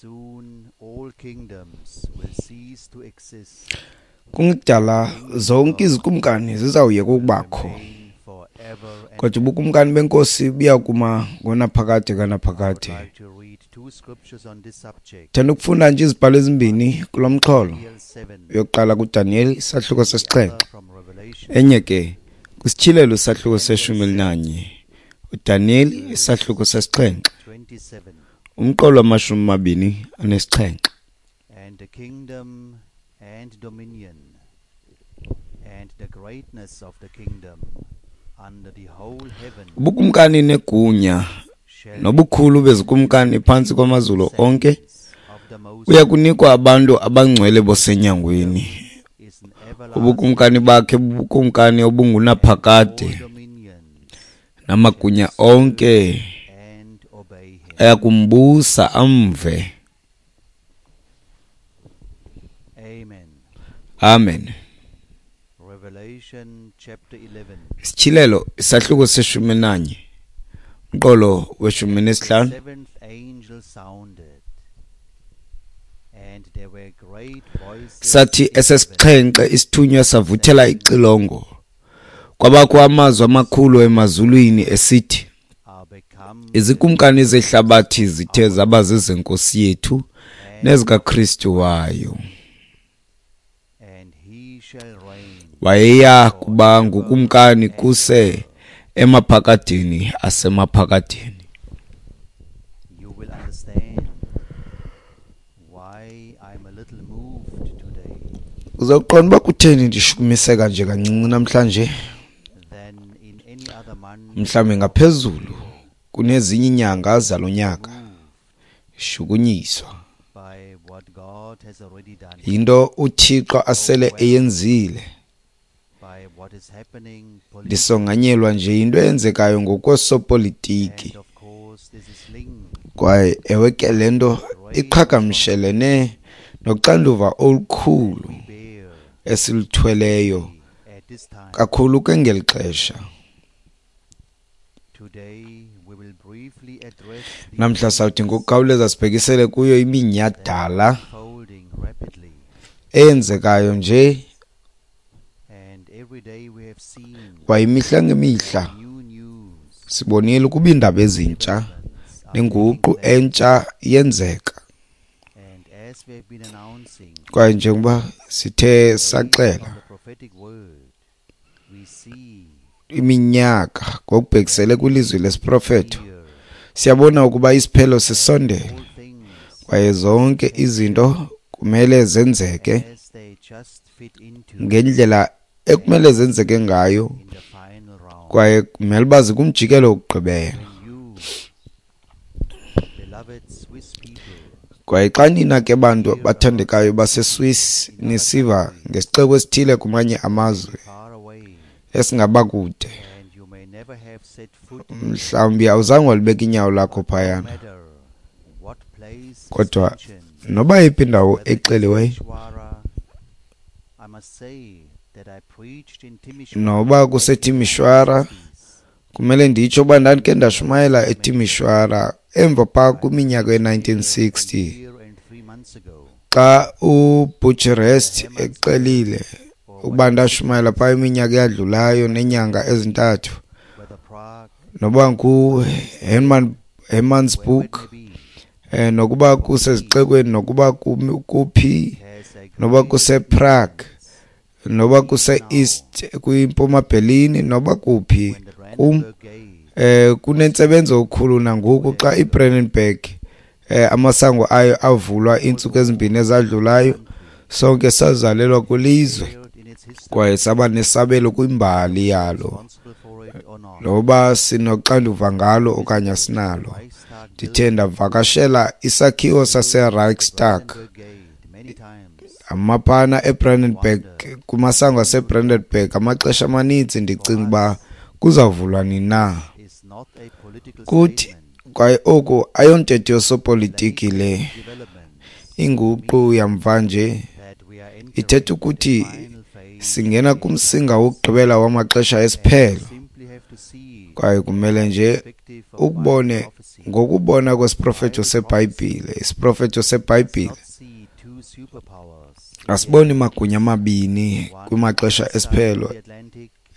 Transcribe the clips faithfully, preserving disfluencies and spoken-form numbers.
Soon all kingdoms will cease to exist Kungekudala zonke izikumkani zizawuyeka ukubakho, remain forever and kodwa ubukumkani benkosi buya kuma ngonaphakade I would kanaphakade. like to read two scriptures on this subject. Thanda ukufunda nje izibhalo ezimbini kulo mxholo. Daniel seven, Yokuqala kuDaniyeli isahluko the sesixhenxe, other from Revelation enye ke kwiSityhilelo isahluko seshumi elinanye. UDaniyeli isahluko sesixhenxe, twenty-seven. umqolo wamashumi amabini anesixhenxe. And the kingdom and dominion and the greatness of the kingdom under the whole heaven Ubukumkani negunya shall be nobukhulu bezikumkani phantsi kwamazulu onke saints of the Most buya kunikwa abantu abangcwele bosenyangweni. is an everlasting Ubukumkani bakhe bubukumkani obungunaphakade, all dominions namagunya onke and obey him. ayakumbusa amve. Amen. Amen. Revelation chapter eleven. Isityhilelo isahluko seshumi nanye, umqolo weshumi nesihlanu. The seventh angel sounded, and there were great voices Sathi in heaven, esesixhenxe isithunywa savuthela ixilongo, kwabakho amazwi amakhulu emazulwini esithi, are become izikumkani zehlabathi zithe zaba zezenkosi yethu nezikaKristu wayo, and he shall reign wayeya kuba ngukumkani kuse emaphakadeni asemaphakadeni. You will understand why I'm a little moved today Uzawuqonda uba kutheni ndishukumiseka nje kancinci namhlanje, than in any other month mhlawumbi ngaphezulu kunezinye iinyanga zalo nyaka. Shukunyiswa by what God has already done, yinto uThixo asele eyenzile. by what is happening politically, Ndisonganyelwa nje yinto eyenzekayo ngokwesopolitiki, and of course this is linked kwaye ewe ke le nto iqhagamshelene noxanduva olukhulu we bear esiluthweleyo at this time. kakhulu ke ngeli xesha. Today we will briefly address the Namhla sawuthi ngokukhawuleza sibhekisele kuyo iminyhadala unfolding rapidly, eyenzekayo nje, and every day we have seen kwaye imihla ngemihla new news, sibonile ukuba iindaba ezintsha developments are taking nenguqu place, entsha yenzeka. and as we have been announcing Kwaye njengoba sithe based saxela on the prophetic word, we see iminyaka ngokubhekisele kwilizwi lesiprofeto, here siyabona ukuba isiphelo sisondele, all things kwaye zonke izinto kumele zenzeke as they just fit into ngendlela ekumele zenzeke ngayo, in the final round. kwaye kumele uba zikumjikelo wokugqibela. When you, beloved Swiss people, Kwaye xa nina ke bantu bathandekayo baseSwiss nisiva ngesixeko esithile kumanye amazwe far away, esingaba kude, and you may never have set foot mhlawumbi awuzange walibeka inyawo lakho no phayana, matter what place is kodwa mentioned, noba yiphi indawo whether it's exeliweyo, Timisoara, I must say that I preached in Timisoara noba back in kuseTimisoara, nineteen sixties. kumele nditsho uba ndandikhe ndashumayela eTimisoara emva phaa kwiminyaka ye-nineteen sixty, A year and three months ago, xa uBucharest exelile ukuba ndashumayela phaa iminyaka eyadlulayo neenyanga ezintathu, whether Prague, noba nguHerman, Hermannsburg, wherever it may be, eh, nokuba kusezixekweni, nokuba kumi-, kuphi, has a noba great kusePrague, noba kuse-East kwiMpuma Berlin, noba kuphi when the kum, Brandenburg Gate eh, kunentsebenzo okukhulu nangoku xa iBrandenburg, eh, amasango ayo avulwa iintsuku ezimbini ezadlulayo. Sonke sazalelwa kwilizwe in its history, kwaye saba nesabelo kwimbali yalo, responsible for it or not. noba sinoxanduva ngalo okanye asinalo. Reichstag Ndithe ndavakashela isakhiwo saseReichstag, Brandenburg Gate many times, amaphana eBrandenburg, kumasango aseBrandenburg amaxesha amaninzi, ndicinga uba kuzawuvulwa nini na. is not a political Kuthi statement. kwaye oku ayontetho yosopolitiki le. Developments Inguqu yamva nje that we are entering ithetha ukuthi the final phase singena kumsinga wokugqibela wamaxesha esiphelo, simply have to see Kwaye kumele nje ukubone ngokubona kwesiprofeto seBhayibhile. Isiprofeto seBhayibhile asiboni magunya amabini kwimaxesha esiphelo,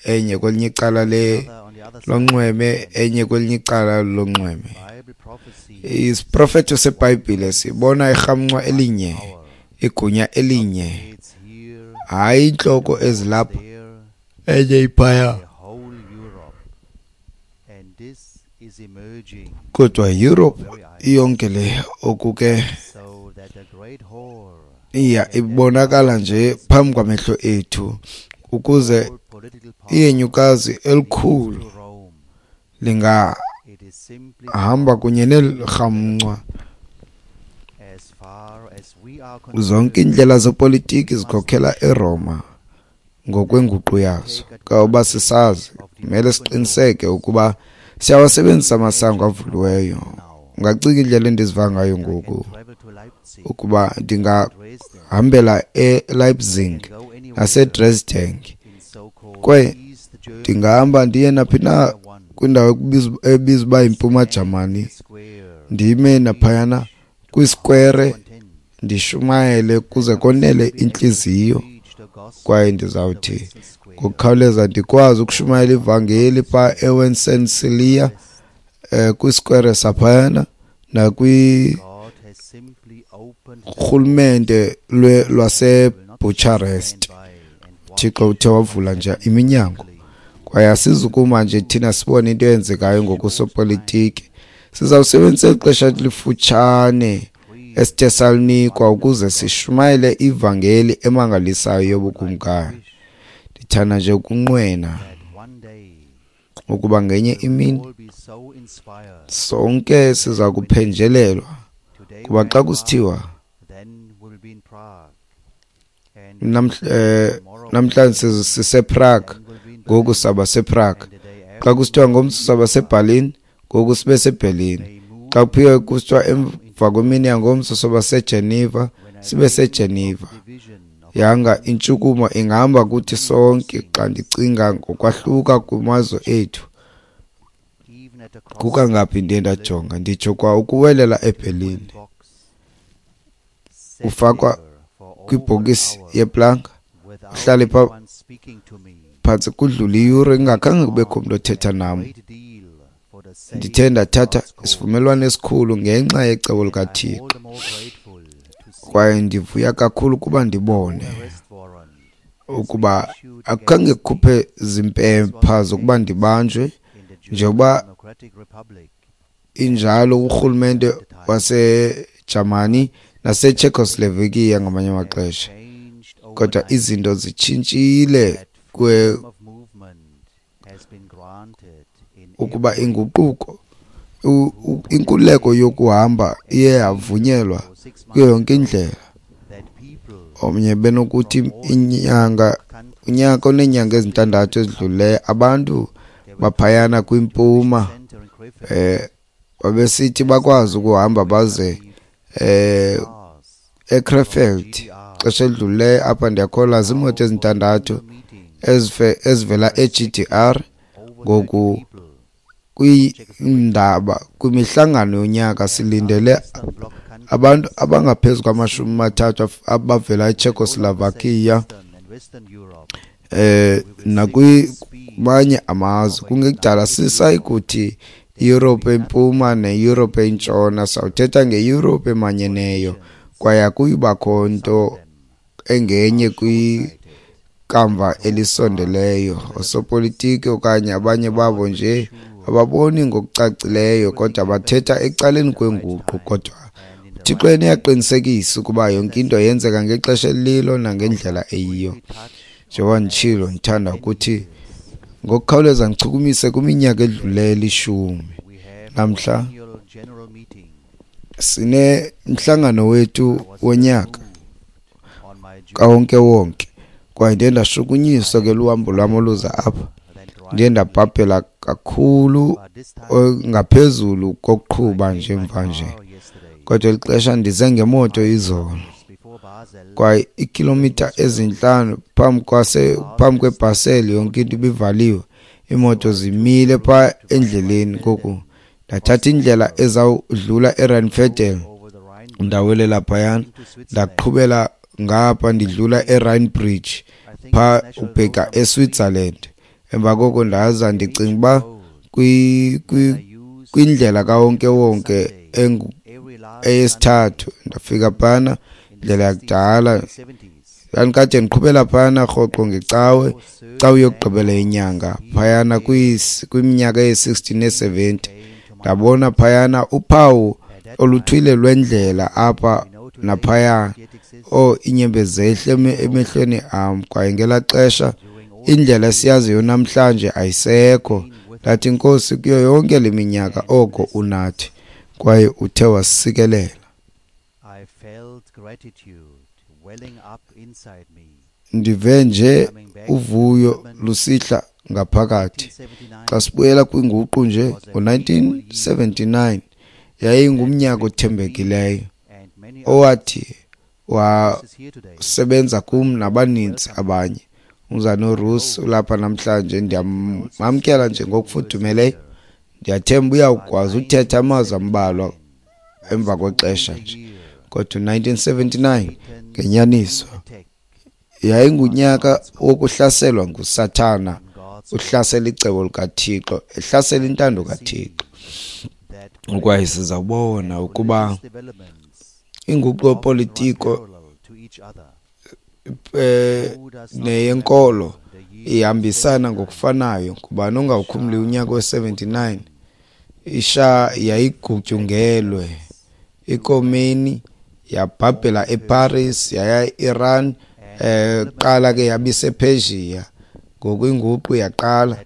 enye kwelinye icala le lonxweme, enye kwelinye icala lonxweme. Isiprofeto seBhayibhile sibona irhamncwa elinye, igunya elinye, hayi intloko ezilapha enye iphaya, kodwa Europe iyonke le. Oku ke iya ibonakala nje phambi kwamehlo ethu, ukuze iyenyukazi elikhulu lingahamba kunye nelirhamncwa. Zonke iindlela zepolitiki zikhokhela eRoma ngokwenguqu yazo. Kuba sisazi, kumele siqiniseke ukuba siyawasebenzisa amasango avuliweyo. Ungacinga indlela endiziva ngayo ngoku, ukuba ndingahambela eLeipzig naseDresden, kwaye ndingahamba ndiye naphi na kwindawo ebizwa uba yiMpuma Jamani, ndime naphayana kwiskwere ndishumayele kuze konele intliziyo. Kwaye ndizawuthi ngokukhawuleza ndikwazi ukushumayela ivangeli phaa eWencensilia, eh kwiskwere saphayana nakwi-rhulumente lwaseBucharest. Thixo uthe wavula nje iminyango, kwaye asizukuma nje thina sibone into eyenzekayo ngokusopolitiki. Sizawusebenzisa eli xesha lifutshane esithe salinikwa ukuze sishumayele ivangeli emangalisayo yobukumkani. Ndithanda nje ukunqwena ukuba ngenye imini sonke siza kuphenjelelwa, kuba xa kusithiwa namhlanje sisePrague, ngoku saba sePrague. Xa kusithiwa ngomso saba seBerlin, ngoku sibe seBerlin. Xa kuphiwe kusithiwa emva kwemini yangomso soba seGeneva, sibe seGeneva. Yanga intshukumo ingahamba kuthi sonke. Xa ndicinga ngokwahluka kumazwe ethu, kukangaphi ndiye ndajonga, nditsho kwa ukuwelela eBerlin, ufakwa kwibhokisi yeplanga, uhlale pha phantsi kudlule iyure kungakhange kubekho umntu othetha nam. Ndithe ndathatha isivumelwano esikhulu ngenxa yecebo likaThixo, kwaye ndivuya kakhulu kuba ndibone ukuba akukhange kukhuphe zimpepha zokuba ndibanjwe, njengoba injalo urhulumente waseJamani naseCzechoslovakia ngamanye amaxesha. Kodwa izinto zitshintshile kwe ukuba inguquko, inkululeko yokuhamba iye yavunyelwa kuyo yonke indlela. Omnye benokuthi inyanga, unyaka oneenyanga ezintandathu ezidlulileyo, abantu baphayana kwimpuma eh babesithi bakwazi ukuhamba baze eh eKrefeld. Xesha elidlulileyo apha ndiyakholwa ziimoto ezintandathu ezivela e-G D R. Ngoku kwiindaba kwimihlangano yonyaka silindele abantu abangaphezu kwamashumi amathathu abavela eCzechoslovakia eh nakwimanye amazwe. Kungekudala sisayikuthi iYurophu empuma neYurophu entshona, sawuthetha ngeYurophu emanyeneyo, kwaye akuyubakho nto engenye kwikamva elisondeleyo. Osopolitiki okanye abanye babo nje ababoni ngokucacileyo, kodwa bathetha ecaleni kwenguqu. Kodwa uThixo yena uyaqinisekisa ukuba yonke into yenzeka ngexesha elilo nangendlela eyiyo. Njengoba nditshilo, ndithanda ukuthi ngokukhawuleza ndichukumise kwiminyaka edlulileyo elishumi. Namhla sinemhlangano wethu wonyaka kawonke-wonke, kwaye ndiye ndashukunyiswa ke luhambo lwam oluza apha. Ndiye ndabhabhela kakhulu ngaphezulu kokuqhuba nje mva nje, kodwa eli xesha ndize ngemoto izolo, kwaye iikhilomitha ezintlanu phambi kwase phambi kweBhaseli yonke into ibivaliwe. Iimoto zimile phaa endleleni. Ngoku ndathatha indlela ezawudlula eRheinfeld, ndawelela phayana, ndaqhubela ngapha ndidlula eRhine Bridge phaa ubheka eSwitzerland. Emva koko ndaza ndicinga uba kwindlela kawonkewonke eyesithathu ndafika phana, indlela yakudala. Ndandikade ndiqhubela phana rhoqo ngecawe, cawe yokugqibela yenyanga phayana kwiminyaka ye-sixty ne-seventy. Ndabona phayana uphawu oluthile lwendlela apha naphaya. Oh, iinyembezi zehle emehlweni am. Kwaye ngelaa xesha indlela esiyaziyo namhlanje ayisekho. Ndathi, Nkosi, kuyo yonke le minyaka oko unathi kwaye uthe wasikelela. Ndive nje uvuyo lusihla ngaphakathi. Xa sibuyela kwinguqu nje ngo-nineteen seventy-nine yayingumnyaka othembekileyo owathi wasebenza kum nabaninzi abanye. Umzana uRusi ulapha namhlanje, ndiyamamkela nje ngokufudumeleyo. Ndiyathemba uyawukwazi uthetha amazwi ambalwa emva kwexesha nje. Kodwa nineteen seventy-nine ngenyaniso yayingunyaka wokuhlaselwa nguSathana, uhlasela icebo likaThixo, ehlasela intando kaThixo. Kwaye sizawubona ukuba inguqu yopolitiko eh neyenkolo ihambisana ngokufanayo. Ngubani ongawukhumli unyaka we-seventy-nine? Isha yayigutyungelwe, iKomeni yabhabhela eParis, yaya e-Iran, eh qala ke yabisePersia. Ngoku inguqu yaqala.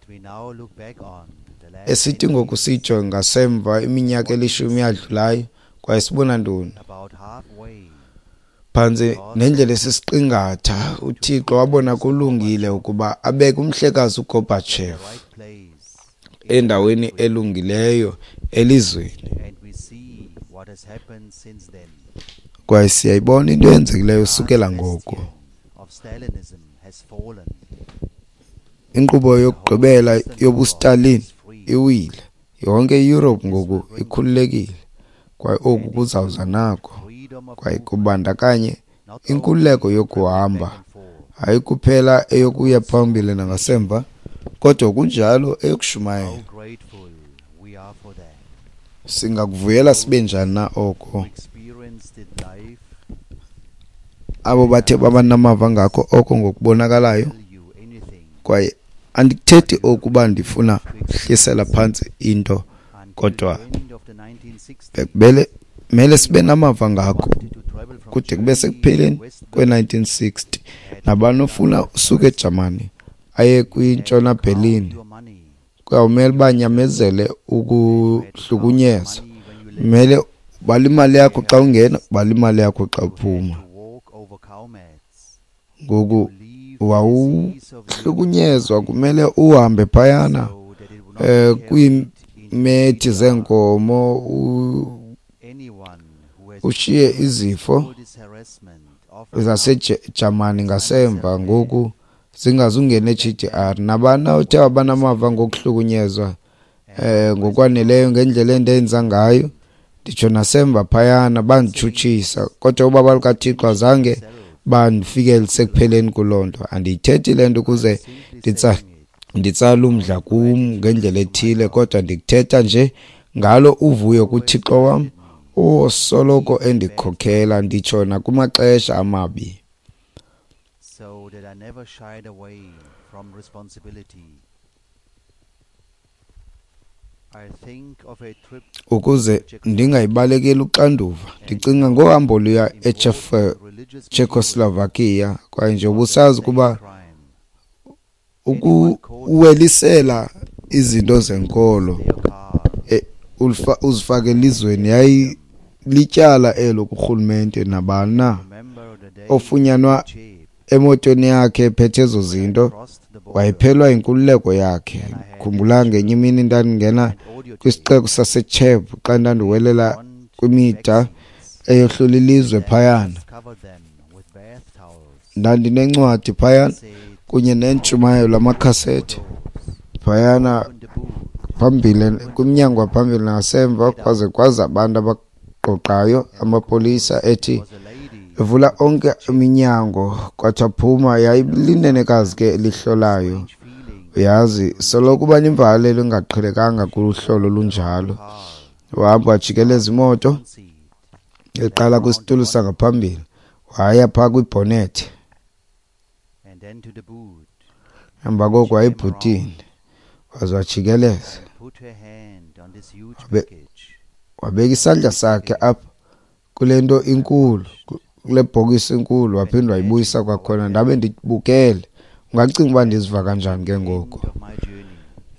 Esithi ngoku siyijonge ngasemva iminyaka elishumi yadlulayo, kwaye sibona ntoni? Phantsi nendlela esisiqingatha, uThixo wabona kulungile ukuba abeke umhlekazi uGorbachev endaweni elungileyo elizweni. Kwaye siyayibona into eyenzekileyo usukela ngoko. Inkqubo yokugqibela yobuStalin iwile. Yonke iYurophu ngoku ikhululekile, kwaye oku kuzawuza nako. Kwaye kubandakanye inkululeko yokuhamba, hayi kuphela eyokuya phambili nangasemva, kodwa kunjalo eyokushumayela. Singakuvuyela sibe njani na oko? Abo bathe baba namava ngako oko ngokubonakalayo. Kwaye andikuthethi okuba ndifuna uhlisela phantsi into, kodwa bekubele mele sibe namava ngako kude kube sekupheleni kwe-nineteen sixty. Nabani ofuna usuka eJamani aye kwintshona Berlin kuyawumele banyamezele ukuhlukunyezwa. Mele ubale imali yakho xa ungena, ubale imali yakho xa uphuma. Ngoku wawuhlukunyezwa, kumele uhambe phayana eh kwiimethi zeenkomo, ushiye izifo zaseJamani ngasemva, ngoku zingazungena e-G D R. Nabani othe wabanamava ngokuhlukunyezwa eh ngokwaneleyo ngendlela endenza ngayo, nditsho nasemva phayana banditshutshisa, kodwa ubaba lukaThixo azange bandifikele sekupheleni kuloo nto. Andiyithethi le nto ukuze nditsale umdla kum ngendlela ethile, kodwa ndikuthetha nje ngalo uvuyo kuThixo wam osoloko endikhokhela, nditsho nakumaxesha amabi. So that I never shied away from responsibility. I think of a trip ukuze ndingayibalekeli uxanduva. Ndicinga ngohambo luya eCzechoslovakia, kwaye nje ubusazi ukuba ukuwelisela izinto zenkolo uzifake elizweni yayilityala elo kurhulumente. Nabani na ofunyanwa emotweni yakhe ephethe ezo zinto wayephelwa inkululeko yakhe. Khumbula ngenye imini ndandingena kwisixeko saseCheb xa ndandiwelela kwimida eyohlula ilizwe phayana. Ndandinencwadi phayana kunye nentshumayelo amakhasethi. Phayana phambili kwimnyango waphambili nasemva kwaze kwaza abantu abaqoqayo, amapolisa ethi evula onke iminyango, kwathiwa phuma. Yayilinenekazi ke elihlolayo. Uyazi, soloko uba nemvakalelo engaqhelekanga kuhlolo olunjalo. Wahamba wajikeleza imoto, eqala kwisitulo sangaphambili, waya phaa kwibhonethi. Emva koko wayebhutini, waze wajikeleza. Wabeka isandla sakhe apha kule nto inkulu, kule bhokisi inkulu, waphinda wayibuyisa kwakhona. Ndabe ndibukele. Ungacinga uba ndiziva kanjani ke ngoku?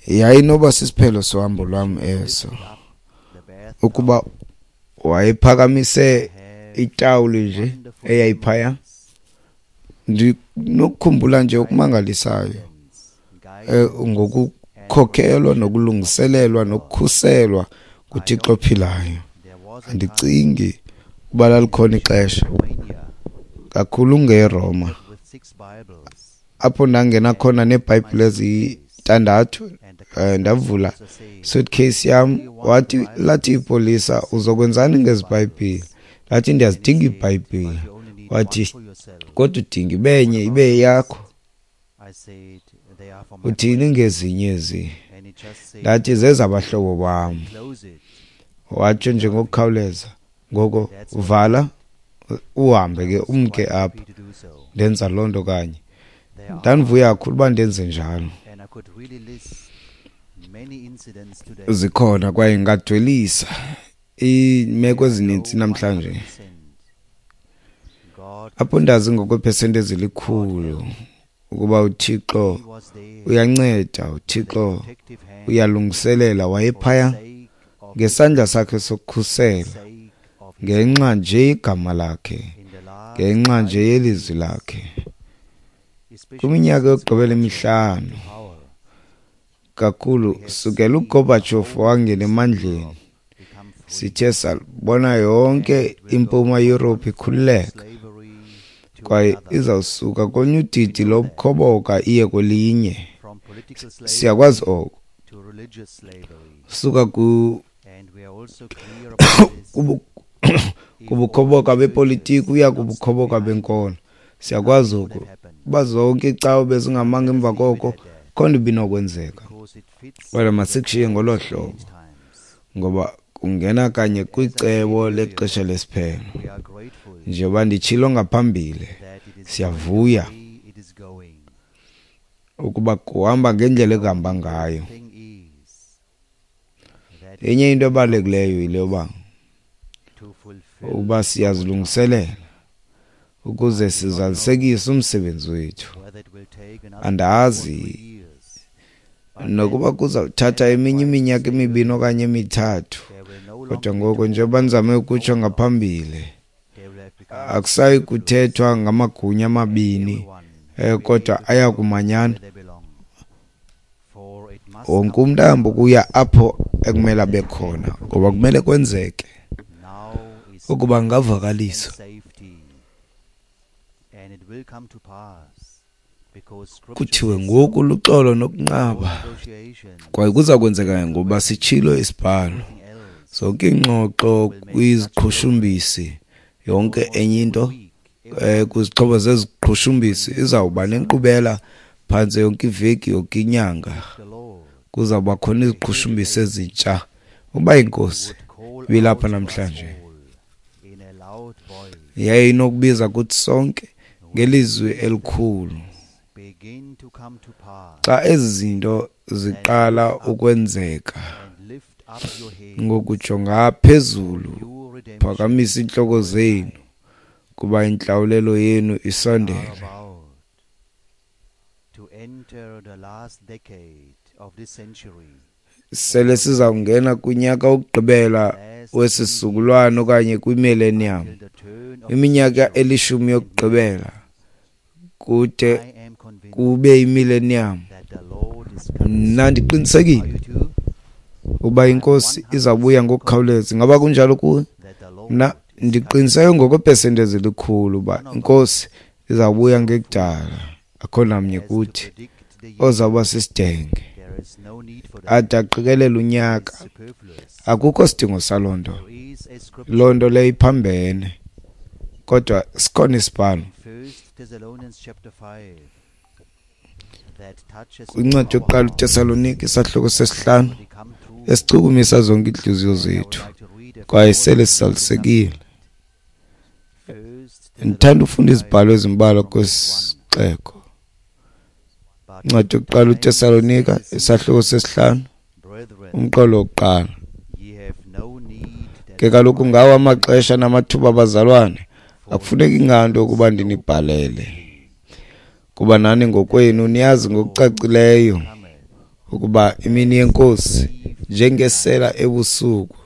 Yayinoba sisiphelo sohambo lwam eso, ukuba wayephakamise itawuli nje eyayiphaya. Ndinokukhumbula nje okumangalisayo ngokukhokhelwa nokulungiselelwa nokukhuselwa nguThixo ophilayo. Andicingi uba lalikhona ixesha kakhulu ngeRoma apho ndangena khona neeBhayibhile ezintandathu. Ndavula suitcase yam, wathi lathi ipolisa, uzokwenzani ngezi Bhayibhile? Ndathi ndiyazidinga iiBhayibhile. Wathi kodwa udinga ibe nye ibe yeyakho. Uthini ngezinye ezi? Ndathi zezabahlobo bam. Watsho nje ngokukhawuleza, ngoko vala uhambe ke umke apha. Ndenza loo nto kanye. Ndandivuya kakhulu uba ndenze njalo. Zikhona kwaye ngadwelisa iimeko ezininzi namhlanje apho ndazi ngokweepesenti ezilikhulu ukuba uThixo uyanceda, uThixo uyalungiselela. Wayephaya ngesandla sakhe sokukhusela ngenxa nje igama lakhe, ngenxa nje yelizwi lakhe. Kwiminyaka yokugqibela emihlanu kakhulu sukela uGorbachev wangena emandleni, sithe sabona yonke impuma Europe ikhululeka kwaye izawusuka kolunye udidi lobukhoboka iye kwelinye. Siyakwazi oko. Suka ku kubukhoboka bepolitiki uya kubukhoboka benkolo. Siyakwazi oku. Uba zonke iicawe bezingamanga emva koko, akho nto ibinokwenzeka. Kodwa masikushiye ngolo hlobo, ngoba kungena kanye kwicebo lexesha lesiphelo. Njengoba nditshilo ngaphambili, siyavuya ukuba kuhamba ngendlela ekuhamba ngayo. Enye into ebalulekileyo yile yoba ukuba siyazilungiselela ukuze sizalisekise umsebenzi wethu. Andazi nokuba kuzawuthatha eminye iminyaka emibini okanye emithathu, kodwa ngoko njengoba ndizame ukutsho ngaphambili, akusayi kuthethwa ngamagunya amabini, kodwa aya kumanyana. Wonke umntu ahambe ukuya apho ekumele abe khona, ngoba kumele kwenzeke ukuba kungavakaliswa. Kuthiwe ngoku luxolo nokunqaba, kwaye kuza kwenzeka ngoba sitshilo isibhalo. Zonke iingxoxo kwiziqhushumbisi, yonke enye into kwizixhobo zeziqhushumbisi izawuba nenkqubela phantse yonke iveki, yonke inyanga. Kuzawuba khona iziqhushumbisi ezintsha. Uba iNkosi ibilapha namhlanje, yayinokubiza kuthi sonke ngelizwi elikhulu. Xa ezi zinto ziqala ukwenzeka, ngokujonga phezulu, phakamisa iintloko zenu, kuba intlawulelo yenu isondele. Sele sizawungena kunyaka wokugqibela wesisizukulwana okanye kwimillennium, iminyaka elishumi yokugqibela kude kube imillennium. Mna ndiqinisekile uba iNkosi izabuya ngokukhawuleza. Ingaba kunjalo kuwe? Mna ndiqiniseke ngokweepesenti ezilikhulu uba iNkosi izawubuya ngekudala. Akho namnye kuthi ozawuba sisidenge. ade aqikelela unyaka. Akukho sidingo saloo nto. Loo nto leyo iphambene, kodwa sikhona isibhalo kwincwadi yokuqala uTesalonika isahluko sesihlanu esichukumisa zonke iintliziyo zethu kwaye sele sizalisekile. Ndithanda ufunda izibhalo ezimbalwa kwesixeko. Incwadi yokuqala uTesalonika isahluko sesihlanu umqolo wokuqala. Ke kaloku ngawo amaxesha namathuba, bazalwane, akufuneki nganto ukuba ndinibhalele, kuba nani ngokwenu niyazi ngokucacileyo ukuba imini yeNkosi njengesela ebusuku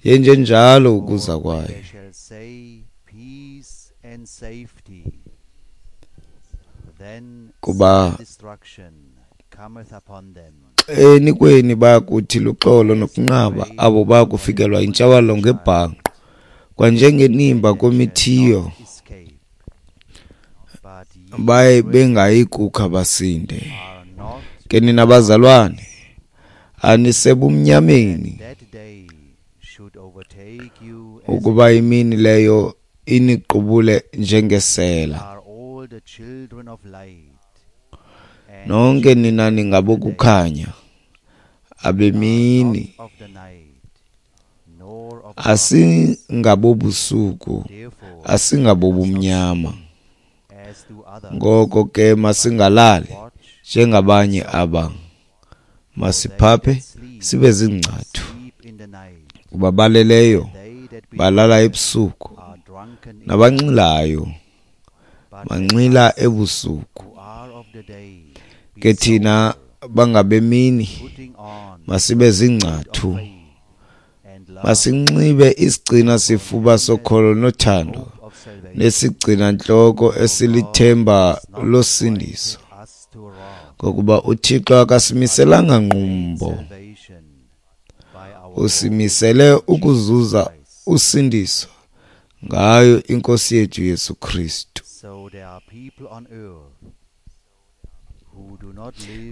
yenjenjalo ukuza kwayo. Kuba enikweni bayakuthi luxolo nokunqaba, abo bayakufikelwa yintshabalalo ngebhanqo, kwanjengenimba kwemithiyo, baye bengayi kukha basinde. Ke nina bazalwane, anisebumnyameni, ukuba imini leyo iniqubule njengesela. Nonke nina ningabokukhanya, abemini, asingabobusuku, asingabobumnyama. Ngoko ke masingalali njengabanye aba, masiphaphe sibe ziingcathu. Kuba baleleyo balala ebusuku, nabanxilayo banxila ebusuku. Ke thina bangabemini masibe ziingcathu, masinxibe isigcina sifuba sokholo nothando, nesigcina-ntloko esilithemba losindiso. Ngokuba uThixo akasimiselanga ngqumbo, usimisele ukuzuza usindiso ngayo iNkosi yethu Yesu Kristu.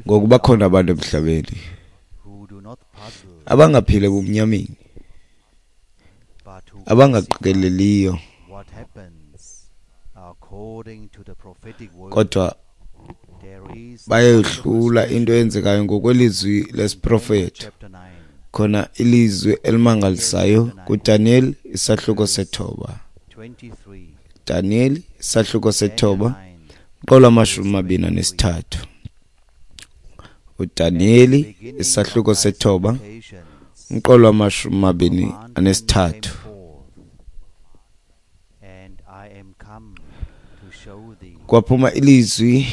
Ngokuba khona abantu emhlabeni abangaphili ebumnyameni, abangaqikeleliyo, kodwa bayohlula into eyenzekayo ngokwelizwi lesiprofeto. Khona ilizwi elimangalisayo kuDaniel isahluko sethoba. Daniel isahluko sethoba mqolo amashumi amabini anesithathu. uDaniel isahluko sethoba umqolo amashumi amabini anesithathu. Kwaphuma ilizwi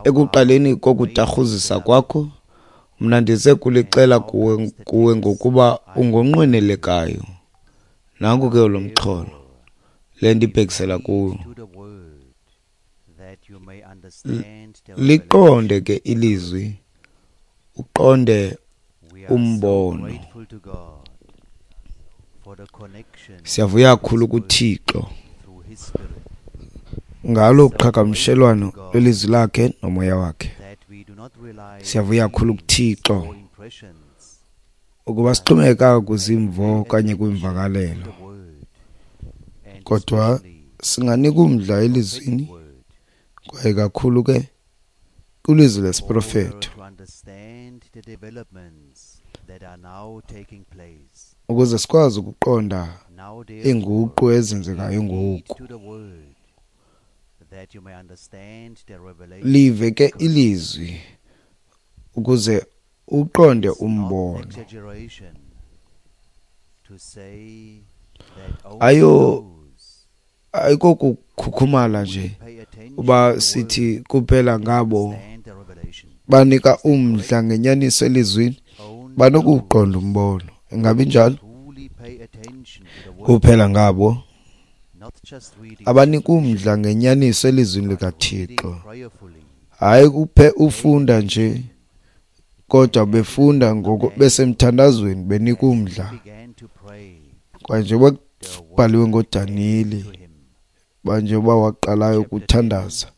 ekuqaleni kokutarhuzisa kwakho, mna ndize kulixela kuwe, kuwe ngokuba ungonqwenelekayo. Nanku ke lo mxholo le ndibhekisela kuwo. Liqonde ke ilizwi, uqonde umbono. Siyavuya kakhulu kuThixo ngalo qhagamshelwano lwelizwi lakhe nomoya wakhe. Siyavuya kakhulu kuThixo ukuba sixhomekeka kwizimvo okanye kwimvakalelo, kodwa singanika umdla elizwini, kwaye kakhulu ke kwilizwi lesiprofeto, ukuze sikwazi ukuqonda iinguqu ezenzekayo ngoku. Live ke ilizwi ukuze uqonde umbono. Ayo ayikokukhukhumala nje uba sithi kuphela ngabo banika umdla ngenyaniso elizwini banokuqonda umbono. Ingabi njalo? Kuphela ngabo abanika umdla ngenyaniso elizwini likaThixo, hayi kuphe ufunda nje, kodwa befunda ngoko besemthandazweni benika umdla. Kwaye njengoba kubhaliwe ngoDaniyeli, njengoba waqalayo ukuthandaza,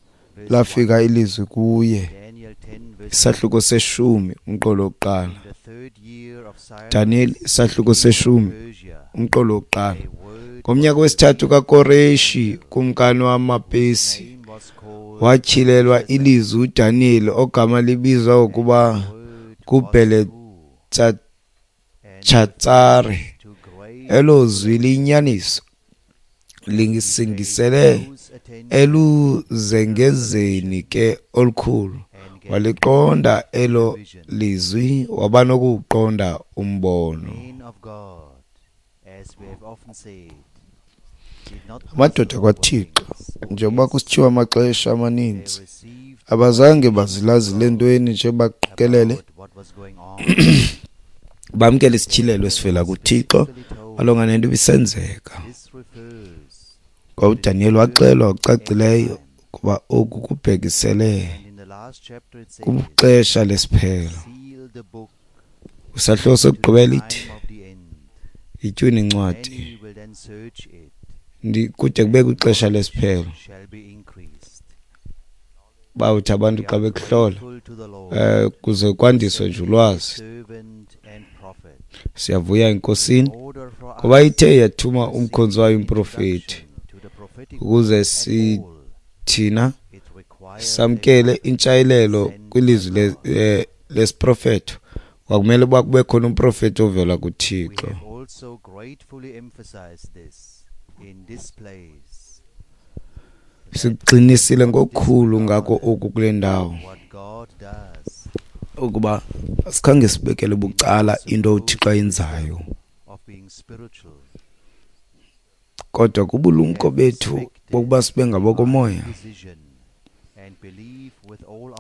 lafika ilizwi kuye. Isahluko seshumi umqolo wokuqala. Daniel isahluko seshumi umqolo wokuqala. Ngomnyaka wesithathu kaKoreshi kumkani wamaPersi, watyhilelwa ilizwi uDaniyeli ogama libizwa ngokuba nguBheletshatsare. Elo zwi liyinyaniso lisingisele eluzengezeni ke olukhulu. Waliqonda elo lizwi, waba nokuwuqonda umbono. Amadoda kwaThixo, njengoba kusithiwa amaxesha amaninzi, abazange bazilazile ntweni nje baqikelele, bamkele isityhilelo esivela kuThixo malunga nento ibisenzeka. Kwa uDaniel waxelwa ngokucacileyo ukuba oku kubhekisele kwixesha lesiphelo. Kwisahluko sokugqibela ithi itywina incwadi kude kube kwixesha lesiphelo. Bawuthi abantu xa bekuhlola um kuze kwandiswe nje ulwazi. Siyavuya eNkosini ngoba ithe yathuma umkhonzi wayo umprofeti ukuze sithina samkele intshayelelo kwilizwi lesiprofeto. Kwakumele uba kube khona umprofeti ovela kuThixo. Sikuqinisile ngokukhulu ngako oku kule ndawo ukuba asikhange sibekele bucala into uThixo ayenzayo, kodwa kubulumko bethu bokuba sibe ngabokomoya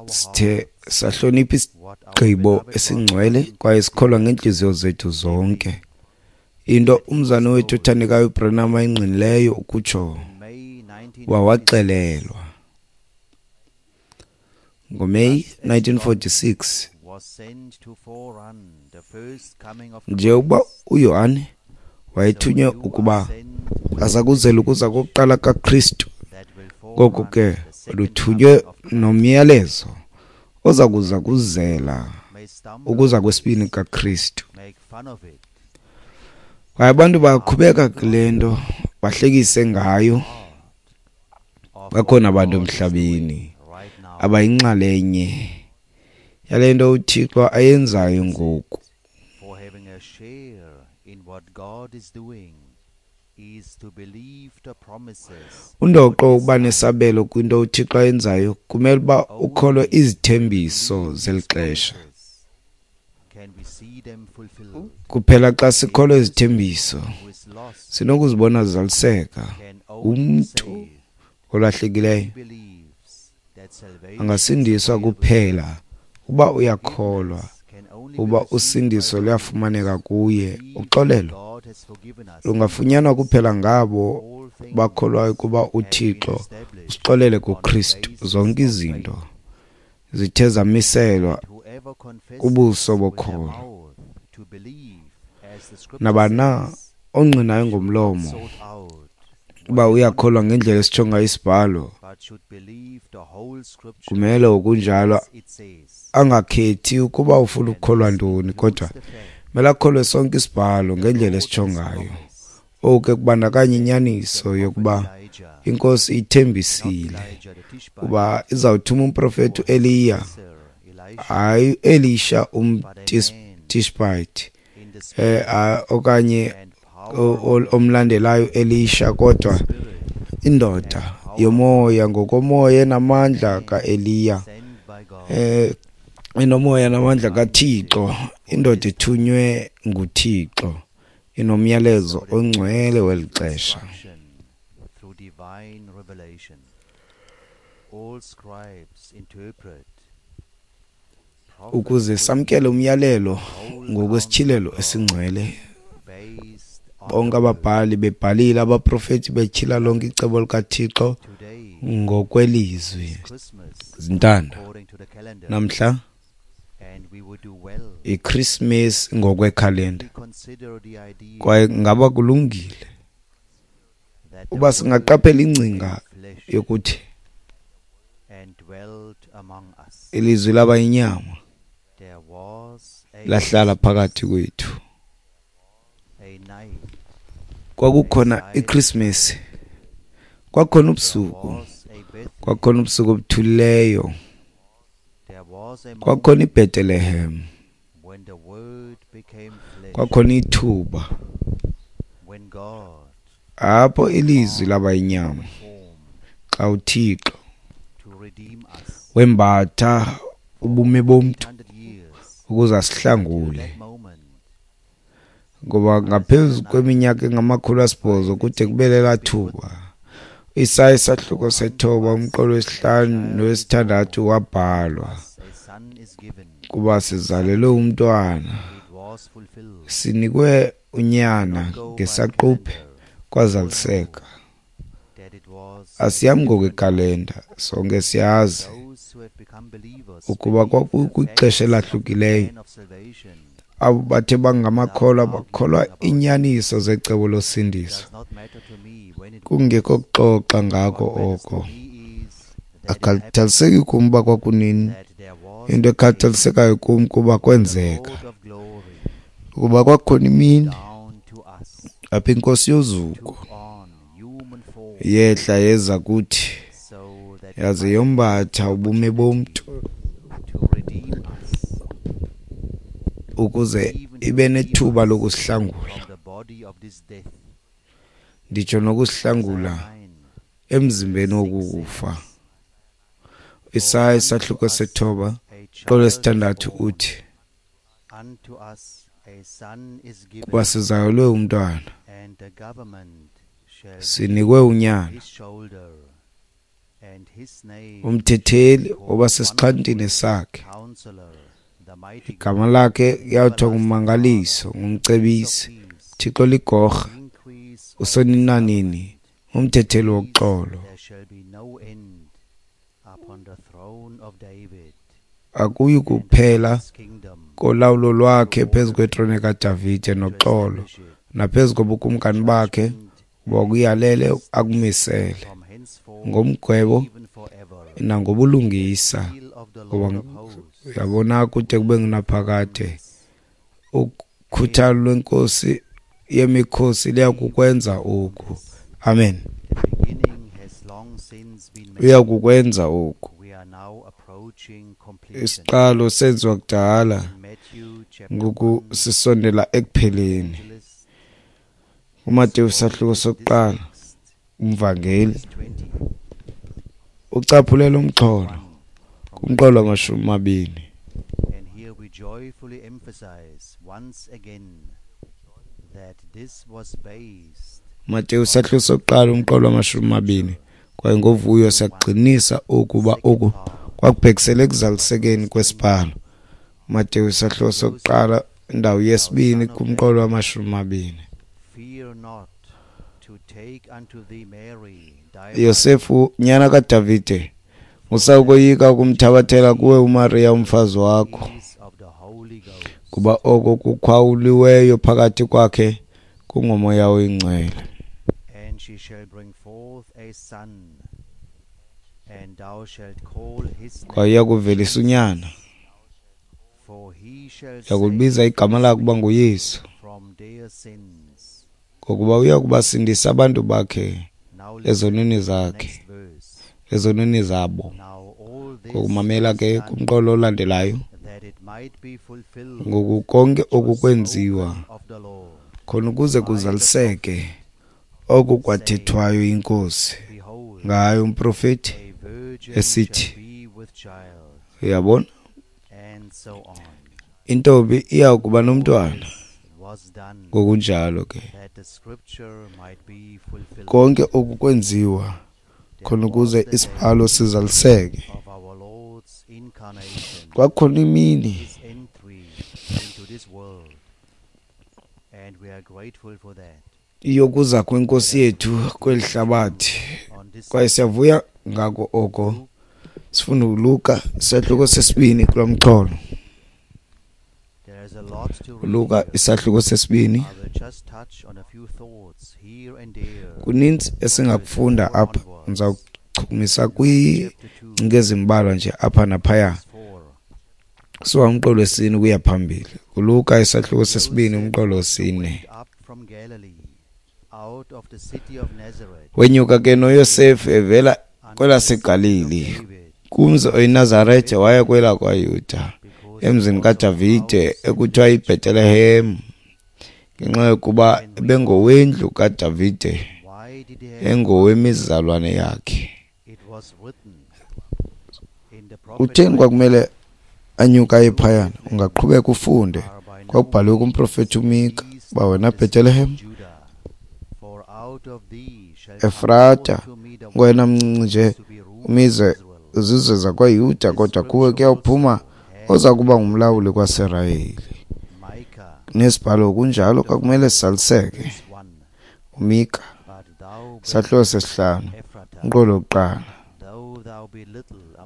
sithe sahlonipha isigqibo esingcwele kwaye sikholwa ngeentliziyo zethu zonke into umzana wethu othandekayo uBranham ayingqinileyo ukutsho wawaxelelwa ngoMeyi nineteen forty-six njengokuba uYohane wayethunywe ukuba azakuzela ukuza kokuqala kaKristu, ngoko ke luthunywe nomyalezo oza kuza kuzela ukuza kwesibini kaKristu. Kwaye abantu baqhubeka kule nto bahlekise ngayo. Bakhona abantu emhlabeni abayinxalenye yale nto uThixo ayenzayo ngoku. Undoqo ukuba nesabelo kwinto uThixo ayenzayo kumele uba ukholwe izithembiso zeli xesha. Kuphela xa sikholwe izithembiso sinokuzibona zizaliseka. Umntu olahlekileyo angasindiswa kuphela uba uyakholwa uba usindiso luyafumaneka kuye. Uxolelo lungafunyanwa kuphela ngabo bakholwayo kuba uThixo usixolele kuKristu. Zonke izinto zithe zamiselwa kubuso bokholo. Nabani ongqinayo ngomlomo uba uyakholwa ngendlela esitsho ngayo isibhalo, kumele okunjalo angakhethi ukuba ufuna ukukholwa ntoni, kodwa kumele akholwe sonke isibhalo ngendlela esitsho ngayo. Oku ke kubandakanya inyaniso yokuba iNkosi ithembisile uba izawuthuma umprofeti uEliya, hayi uElisha umTishbite eh okanye omlandelayo Elisha, kodwa indoda yomoya ngokomoya enamandla kaEliya, eh inomoya namandla kaThixo, indoda ethunywe nguThixo inomyalezo ongcwele weli xesha. Ukuze samkele umyalelo ngokwesityhilelo esingcwele, bonke ababhali bebhalile, abaprofeti betyhila lonke icebo likaThixo ngokwelizwi. Zintanda, namhla iChristmas ngokwekhalenda, kwaye ngaba kulungile uba singaqaphela ingcinga yokuthi Ilizwi laba yinyama, lahlala phakathi kwethu. Kwakukhona iKrismesi, kwakhona ubusuku, kwakhona ubusuku obuthulileyo, kwakhona iBethlehem, kwakhona ithuba apho ilizwi laba yinyama, xa uThixo wembatha ubume bomntu ukuze asihlangule. Ngoba ngaphezu kweminyaka engamakhulu asibhozo kude kube lelaa thuba, Isaya isahluko sethoba umqolo wesihlanu nowesithandathu wabhalwa, kuba sizalelwe umntwana, sinikwe unyana ngesaquphe, kwazaliseka. Asihambi ngokwekalenda, sonke siyazi ukuba kwakukwixesha elahlukileyo. Abo bathe bangamakholwa bakholwa iinyaniso zecebo losindiso. Kungekho kuxoxa ngako oko. Akukhathaliseki kum uba kwakunini, into ekhathalisekayo kum kuba kwenzeka, ukuba kwakukhona imini apho iNkosi yozuko yehla yeza kuthi, yaze yombatha ubume bomntu ukuze ibe nethuba lokusihlangula, nditsho nokusihlangula emzimbeni wokufa. Isaya isahluko sethoba qolo lesithandathu uthi, kuba sizalelwe umntwana, sinikwe unyana, umthetheli oba sesixhantini sakhe, igama lakhe kuyawuthiwa nguMangaliso, nguMcebisi, Thixo ligorha, uSoninanini, umthetheli woxolo. Akuyi kuphela kolawulo lwakhe phezu kwetrone kaDavide noxolo, naphezu kobukumkani bakhe, uba kuyalele akumisele ngomgwebo nangobulungisa, ngoba uyabona kude kube ngunaphakade. Ukhuthalo lwenkosi yemikhosi liyakukwenza oku. Amen. Uyakukwenza oku. Isiqalo senziwa kudala, ngoku sisondela ekupheleni. UMateyu isahluko sokuqala, umvangeli ucaphulela umxholo kumqolo wamashumi amabini. And here we joyfully emphasize once again that this was based Mateyu isahluko sokuqala umqolo wamashumi amabini. Kwaye ngovuyo siyagqinisa ukuba oku kwakubhekisele ekuzalisekeni kwesibhalo. Mateyu isahluko sokuqala indawo yesibini kumqolo wamashumi amabini. Fear not to take unto thee Mary, thy Yosefu nyana kaDavide, musa ukoyika ukumthabathela kuwe uMariya umfazi wakho, is of the Holy Ghost. kuba oko kukhawuliweyo phakathi kwakhe kungoMoya oyiNgcwele. And she shall bring forth a son, and thou shalt call his name Kwaye uyakuvelisa unyana, for he shall uyakulibiza igama lakhe ukuba nguYesu, from their sins. ngokuba uyakubasindisa abantu bakhe Now listen ezonweni to the zakhe, next verse. ezonweni zabo. Now all this Ngokumamela was ke done kumqolo olandelayo, that it might be fulfilled ngoku konke which was oku kwenziwa spoken of the Lord. khona ukuze kuzaliseke oku kwathethwayo inkosi Behold, ngayo umprofeti a virgin esithi, shall be with child, uyabona, and so on. intombi iya kuba nomntwana. This was done Ngokunjalo ke that the scripture might be fulfilled. konke oku kwenziwa khona ukuze isibhalo sizaliseke. Of our Lord's incarnation, Kwakhona imini his entry into this world, and we are grateful for that. yokuza kwenkosi yethu kweli hlabathi, On this kwaye siyavuya ngako oko. Sifunda uLuka isahluko sesibini kulo mxholo. there is a lot to read uLuka here. isahluko sesibini. I will just touch on a few thoughts here and there. Kuninzi esingakufunda apha, ndizawuchukumisa kwiingcinga ezimbalwa nje apha naphaya. Verse four. Kusuka umqolo wesine ukuya phambili. KuLuka isahluko sesibini umqolo wesine. Wenyuka ke noYosefu evela kwelaseGalili, kumzi oyiNazarete, waya kwelakwaYuda, emzini kaDavide ekuthiwa yiBhetelehem, ngenxa yokuba ebengowendlu kaDavide, engowemizalwane yakhe. Kutheni kwakumele anyuka aye phayana? Ungaqhubeka ufunde. Kwakubhaliwe kumprofethi uMika uba wena Bhetelehem Efrata, wena mncinci nje umizwe izizwe zakwaYuda, kodwa kuwe kuyawuphuma oza kuba ngumlawuli kwaSirayeli. Nesibhalo kunjalo kwakumele sisaliseke. uMika sahluko sesihlanu umqolo wokuqala.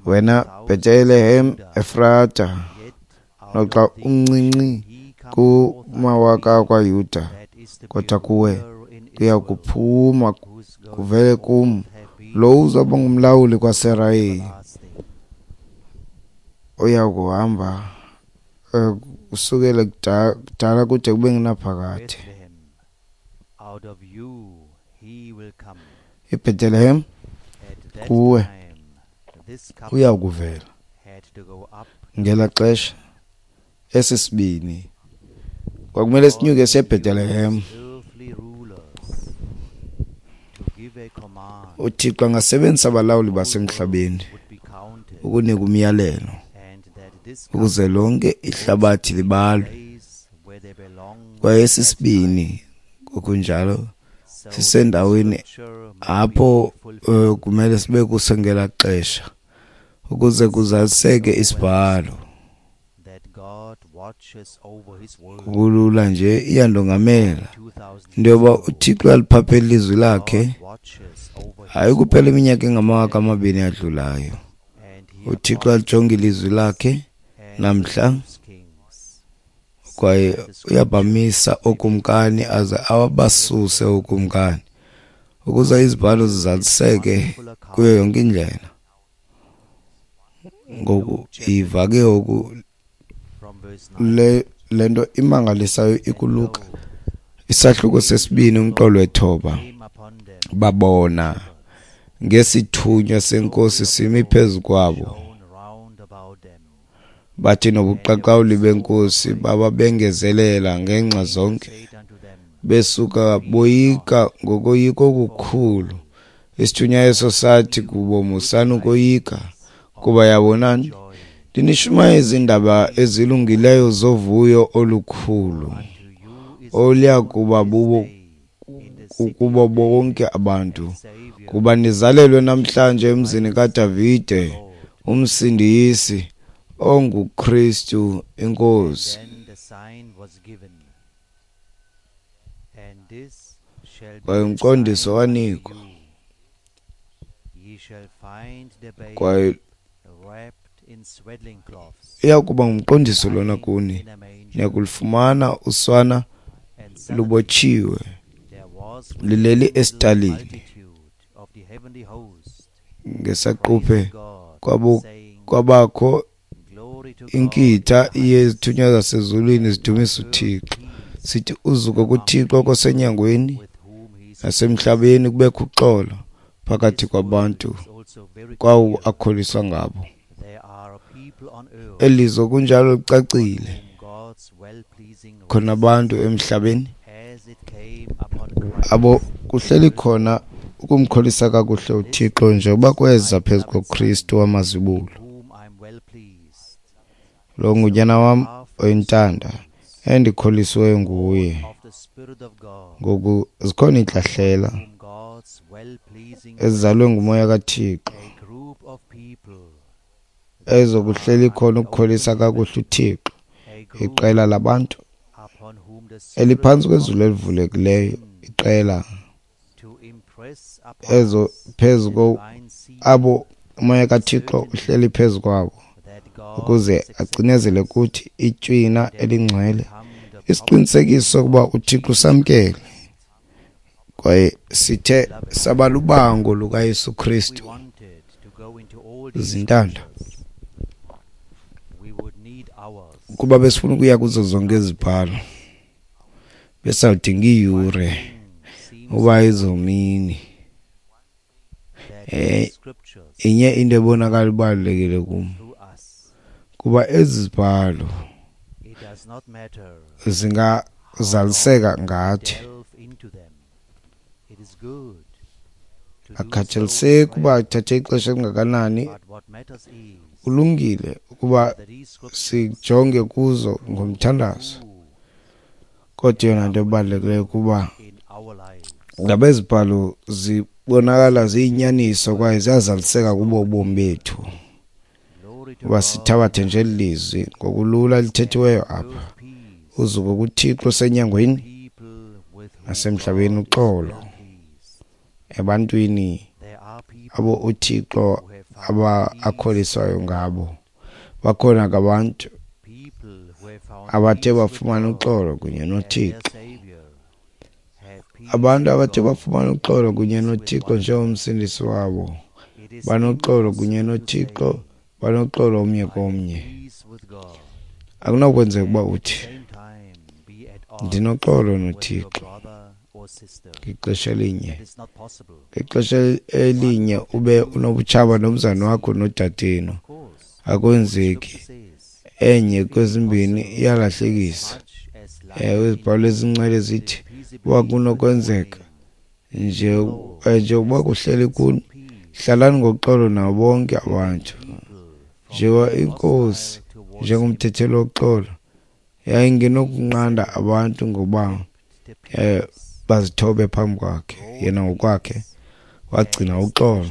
Wena Bhetelehem Efrata, noxa umncinci kumawaka akwaYuda, kodwa kuwe kuya kuphuma kuvele kum lo uzoba ngumlawuli kwaSirayeli, oya kuhamba kusukela kudala kude kube ngunaphakade. IBhetelehem kuwe uya kuvela. Ngela xesha esi sibini kwakumele sinyuke siye eBhetelehem. UThixo angasebenzisa abalawuli basemhlabeni ukunika umyalelo ukuze lonke ihlabathi libalwe, kwaye esi sibini ngokunjalo sisendaweni apho uh, kumele sibe kuso ngela xesha ukuze kuzaliseke isibhalo. Kulula nje iyandongamela into yoba uThixo uyaliphaphela ilizwi lakhe, hayi kuphela iminyaka engamawaka amabini adlulayo. UThixo alijonge ilizwi lakhe namhla, kwaye uyabamisa ookumkani aze abasuse ookumkani ukuze izibhalo zizaliseke kuyo yonke indlela. Ngoku iva ke ngoku le le nto imangalisayo ikuLuka isahluko sesibini umqolo wethoba. Babona ngesithunywa senkosi simi phezu kwabo, bathi nobuqaqawuli benkosi bababengezelela ngenxa zonke, besuka boyika ngokoyika okukhulu. Isithunywa eso sathi kubo, musani ukoyika, kuba yabonani, ndinishumayeza iindaba ezilungileyo zovuyo olukhulu oluya kuba bubo kubo bonke abantu, kuba nizalelwe namhlanje emzini kaDavide uMsindisi onguKristu iNkosi. Kwaye umqondiso wanikwa, kwaye iya kuba ngumqondiso lona kuni, niyakulufumana uswana lubotshiwe lileli esitalini. Ngesaquphe kwabakho inkitha yezithunywa zasezulwini zidumisa uThixo, sithi uzuko kuThixo kosenyangweni nasemhlabeni kubekho uxolo phakathi kwabantu kwawo akholiswa ngabo. Elizwe kunjalo licacile, khona abantu emhlabeni abo kuhleli khona ukumkholisa kakuhle uThixo njengoba kweza phezu koKristu wamazibulo. Lo ngunyana wam oyintanda endikholisiweyo nguye. Ngoku zikhona iintlahlela ezizalwe ngumoya kaThixo ezokuhleli khona ukukholisa kakuhle uThixo, iqela labantu eliphantsi kwezulu elivulekileyo, iqela ezo phezu abo umoya kaThixo uhleli phezu kwabo ukuze acinezele kuthi itywina elingcwele, isiqinisekiso sokuba uThixo usamkele kwaye sithe sabalubango lukaYesu Kristu. Zintanda, Kuba besifuna ukuya kuzo zonke izibhalo, besawudinga iiyure uba izomini. Eh, inye into ebonakala ibalulekile kum, kuba ezi zibhalo zingazaliseka ngathi. Akukhathaliseki uba ithathe ixesha elingakanani, kulungile ukuba sijonge kuzo ngomthandazo. Kodwa eyona nto ebalulekileyo kuba ngaba izibhalo zibonakala ziyinyaniso kwaye ziyazaliseka kubo ubomi bethu. Uba sithabathe nje eli lizwi ngokulula lithethiweyo apha, uzuko kuThixo osenyangweni nasemhlabeni, uxolo ebantwini abo uThixo aba akholiswayo ngabo. Bakhona ke abantu abathe bafumana uxolo kunye noThixo, abantu abathe bafumana uxolo kunye noThixo njengomsindisi wabo, banoxolo kunye noThixo, banoxolo omnye komnye. Akunakwenzeka uba uthi ndinoxolo noThixo ngexesha elinye, ngexesha elinye ube unobutshaba nomzana wakho nodadenu. Akwenzeki. Enye kwezimbini iyalahlekisa. Ewe, izibhalo ezingcwele zithi uba kunokwenzeka nje, nje uba kuhleli kuni, hlalani ngoxolo nabo bonke abantu. Njengoba iNkosi njengomthetheli woxolo yayingenokunqanda abantu ngoba eh bazithobe phambi kwakhe, yena ngokwakhe wagcina uxolo,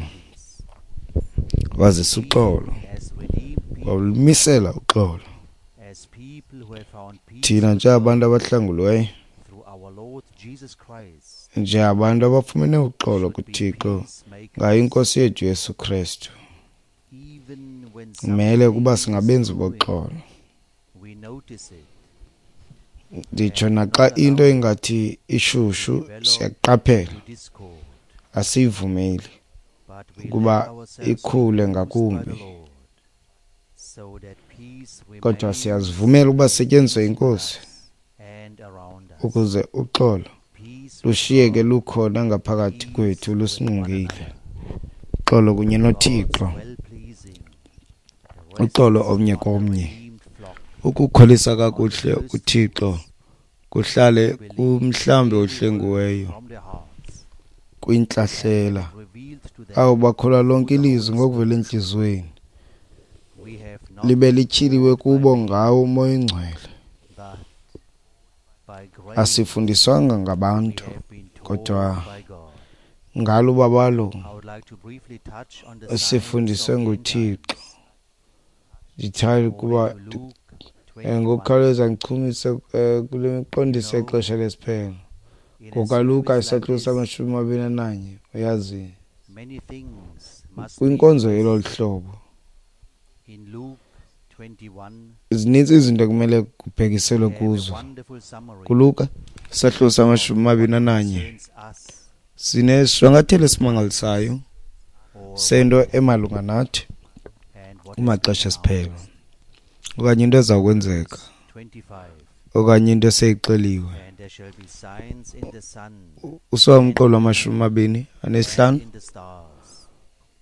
wazisa uxolo, walumisela uxolo. Thina njengabantu abahlanguliweyo, njengabantu abafumene uxolo kuThixo ngayo iNkosi yethu Yesu Kristu, kumele ukuba singabenzi boxolo. Nditsho naxa into ingathi ishushu, siyaqaphela, asiyivumeli ukuba ikhule ngakumbi, kodwa siyazivumela ukuba sisetyenziswe yiNkosi ukuze uxolo lushiyeke lukhona ngaphakathi kwethu, lusingqongile. Uxolo kunye noThixo, uxolo omnye komnye, ukukholisa kakuhle uThixo kuhlale kumhlambi ohlengiweyo kwintlahlela, abo bakholwa lonke ilizwi ngokuvela entliziyweni, libe lityhiliwe kubo ngawo uMoya oyiNgcwele. Asifundiswanga ngabantu, kodwa ngalo ubabalo sifundiswe nguThixo. Ndithanda ukuba ngokukhawuleza ndichumise kule miqondiso yexesha lesiphelo. NgokaLuka isahluko samashumi amabini ananye, uyazi, kwinkonzo yelolu hlobo zininzi izinto ekumele kubhekiselwe kuzo. KuLuka isahluko samashumi amabini ananye sinesishwankathelo esimangalisayo sento emalunga nathi kumaxesha esiphelo, okanye into eza kwenzeka, okanye into eseyixeliwe. Usuka umqolo wamashumi amabini anesihlanu,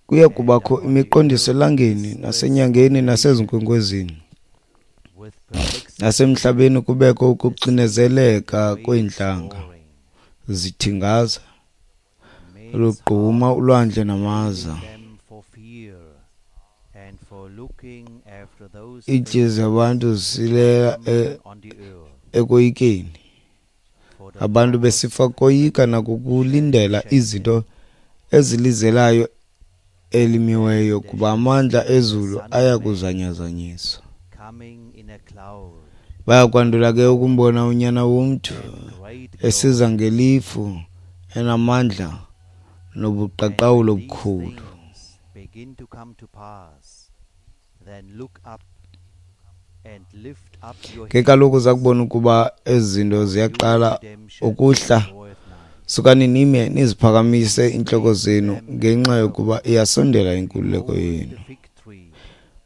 kuya kubakho imiqondiso elangeni nasenyangeni nasezinkwenkwezini, nasemhlabeni kubekho ukuxinezeleka kweentlanga zithingaza, lugquma ulwandle namaza. Iintliziyo zabantu zisilela ekoyikeni, abantu besifa koyika nakukulindela izinto ezilizelayo elimiweyo, kuba amandla ezulu aya kuzanyazanyiswa. Baya kwandula ke ukumbona uNyana womntu esiza ngelifu enamandla nobuqaqawuli obukhulu. Ke kaloku zakubona ukuba ezi zinto ziyaqala ukuhla, sukani nime niziphakamise iintloko zenu, ngenxa yokuba iyasondela inkululeko yenu.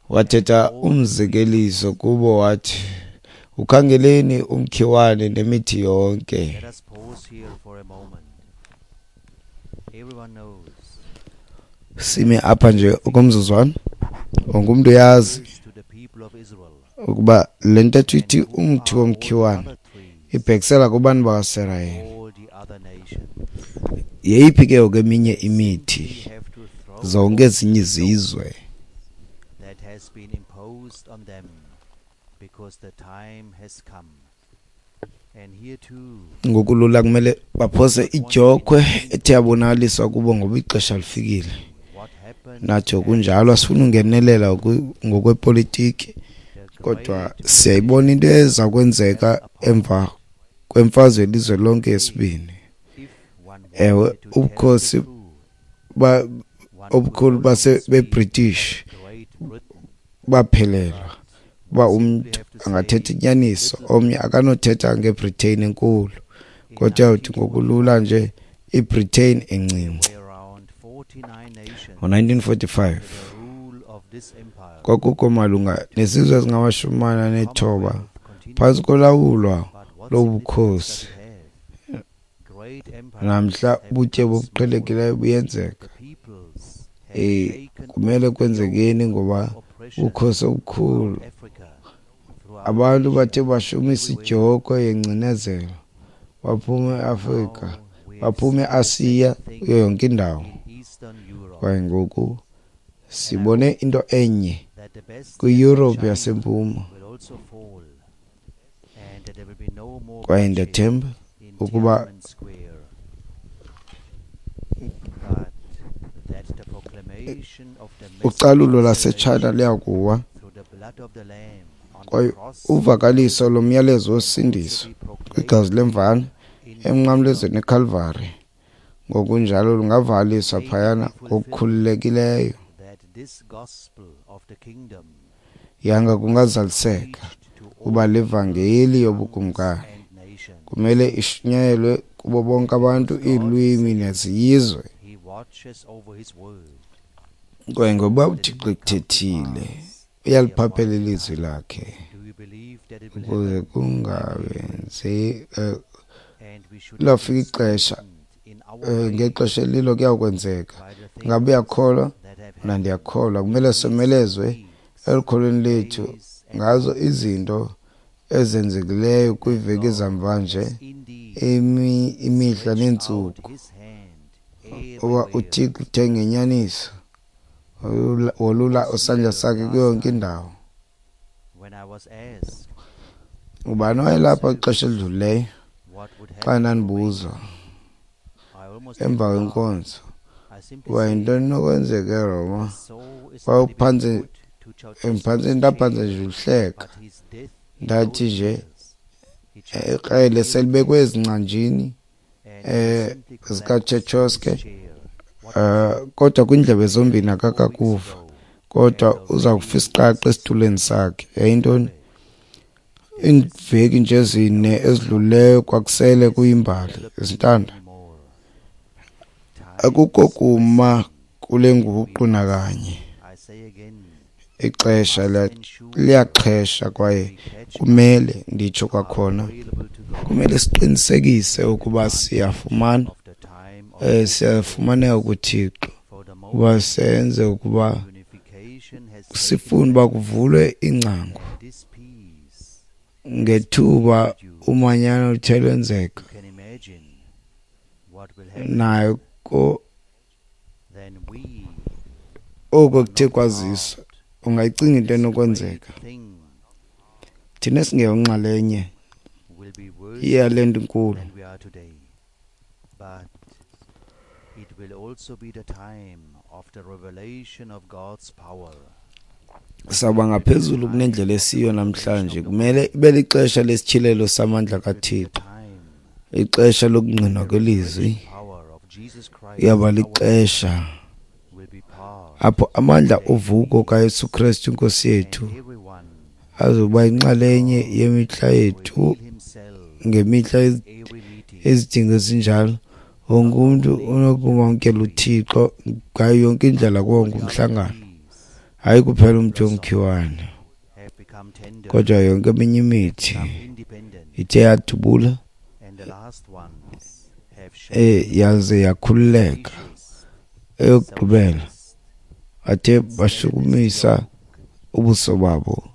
Wathetha umzekeliso kubo wathi, Ukhangeleni umkhiwane nemithi yonke. Let us pause here for a moment. Everyone knows Sime apha nje okomzuzwana. Wonke umntu uyazi to the people of Israel ukuba le ntetho ithi and who umthi are all the womkhiwane other trees, ibhekisela kubantu bakaSirayeli. all the other nations. Yeyiphi ke ngoku eminye imithi? We have to throw Zonke off ezinye the yoke izizwe. that has been imposed on them, because the time has come. And here too, Ngokulula kumele baphose idyokhwe ethe yabonakaliswa kubo ngoba ixesha lifikile. what happened Nathi kunjalo asifuni ungenelela ngoku- ngokwepolitiki, the kodwa great siyayibona into eza kwenzeka emva kwemfazwe yelizwe lonke yesibini. if one Ewe, wanted to tell the ubukhosi truth, ba one could obukhulu only base speak beBritish of Great Britain, baphelelwa uba simply umntu have to say angathetha inyaniso, little omnye akanothetha ngeBritain enkulu, in kodwa uyawuthi ngokulula nineteen forty-five, nje iBritain encinci. were around forty-nine nations Ngo-nineteen forty-five under the rule of this empire. kwakukho malunga nezizwe ezingamashumi amane anethoba Commonwealth continued, phantsi kolawulwa but what lobukhosi. significance does it have? Great empires Namhla have ubutyebi become obuqhelekileyo small. buyenzeka. The peoples have Eh shaken kumele off the kwenzekeni yoke ngoba of oppression ubukhosi obukhulu throughout Africa, throughout abantu Asia, bathe bashumisa everywhere. idyokhwe yengcinezelo baphuma eAfrika, Now we have baphuma seen the same eAsiya, thing kuyo yonke indawo. in Eastern Europe, Kwaye ngoku and I sibone hope into enye that the best yet kwiYurophu China yasempuma. will also fall, and that there will be no more Kwaye bloodshed ndiyathemba in ukuba Tiananmen Square, but that the proclamation of the message ucalulo of laseTshayina salvation liyakuwa through the blood of the Lamb on the kwaye cross uvakaliso lomyalezo can also wosindiso be proclaimed kwigazi lemvana in emnqamlezweni freedom. eKalvari ngokunjalo lungavakaliswa May it phayana be fulfilled ngokukhululekileyo. that this gospel of the kingdom Yanga must be kungazaliseka preached to kuba all le peoples, vangeli tongues, yobukumkani and nations. kumele ishunyayelwe kubo bonke abantu, Because God iilwimi said nezizwe. he watches over his word, Kwaye ngoba that it uThixo may come to ekuthethile, pass at the uyaliphaphela appointed ilizwi time. lakhe Do you believe that it will ukuze happen? I believe it. kungawenzi eh, And we should have lafika been ixesha strengthened in our eh, faith ngexesha elilo kuyakwenzeka. by the Ngabe things uyakholwa? that have Mna happened ndiyakholwa. Kumele in recent somelezwe weeks, elukholweni lethu days, and ngazo months izinto ezenzekileyo that kwiiveki God zamva nje, has indeed imi imihla stretched out neentsuku, his hand uba everywhere. uThixo uthe ngenyaniso wolula wolula Was isandla here sakhe kuyo last yonke time indawo. when I was asked Ubani in owayelapha service ixesha elidlulileyo what would xa happen in ndandibuzwa Romania, I almost had emva to laugh. kwenkonzo I simply uba said, yintoni enokwenzeka eRoma? the saw is already been Kwawuphantse put to mphantse Ceausescu's ndaphantse chair, nje uhleka, but his death in ndathi those nje years, he just ikrele killed selibekwe him ezingcanjini and he eh simply collapsed in his zikaTshetshoske, chair. What was eh kodwa kwindlebe zombini four weeks akakakuva, ago kodwa and uza already kufa isiqaqa is esitulweni sakhe. Yayintoni? everywhere. There is Iiveki nje ezine no ezidlulileyo kwakusele this kuyimbali development zintanda. anymore. Time Akukho is kuma pressing, kule and we nguqu must, nakanye. I say again, Ixesha must liya- ensure liyaxhesha kwaye we catch up, kumele nditsho are kwakhona, available to God, kumele siqinisekise take ukuba advantage siyafumana of the time of eh open siyafumaneka doors. kuThixo For the uba moment, senze ukuba unification has taken sifune uba place, kuvulwe ingcango and this peace has been ngethuba introduced. umanyano luthe lwenzeka You can imagine what will happen. nayo ko Then we oko are kuthe not kwaziswa part ungayicinga of into this great enokwenzeka. thing Thina esingeyonxalenye will be worse yale nto inkulu than we are today. But it will also be the time of the revelation of God's power. sawuba It will be the ngaphezulu time kunendlela of the esiyo revelation namhlanje. of the Kumele word. ibe lixesha lesityhilelo samandla It will be the kaThixo, time ixesha when lokungqinwa the kwelizwi. resurrection power of Jesus Christ Iyaba our Lord lixesha will be part apho of amandla today's ovuko kaYesu meetings, Kristu Inkosi and yethu everyone azoba yinxalenye God yemihla will yethu reveal himself ngemihla in every meeting, ezidingo ezinjalo. Wonke not umntu only unokumamkela the tree, uThixo ngayo yonke but indlela kuwo all wonke the other umhlangano, trees hayi kuphela that umthi blossom womkhiwane. have become Kodwa yonke eminye imithi ithe yadubula eh yaze yakhululeka. Eyokugqibela athe bashukumisa ubuso babo,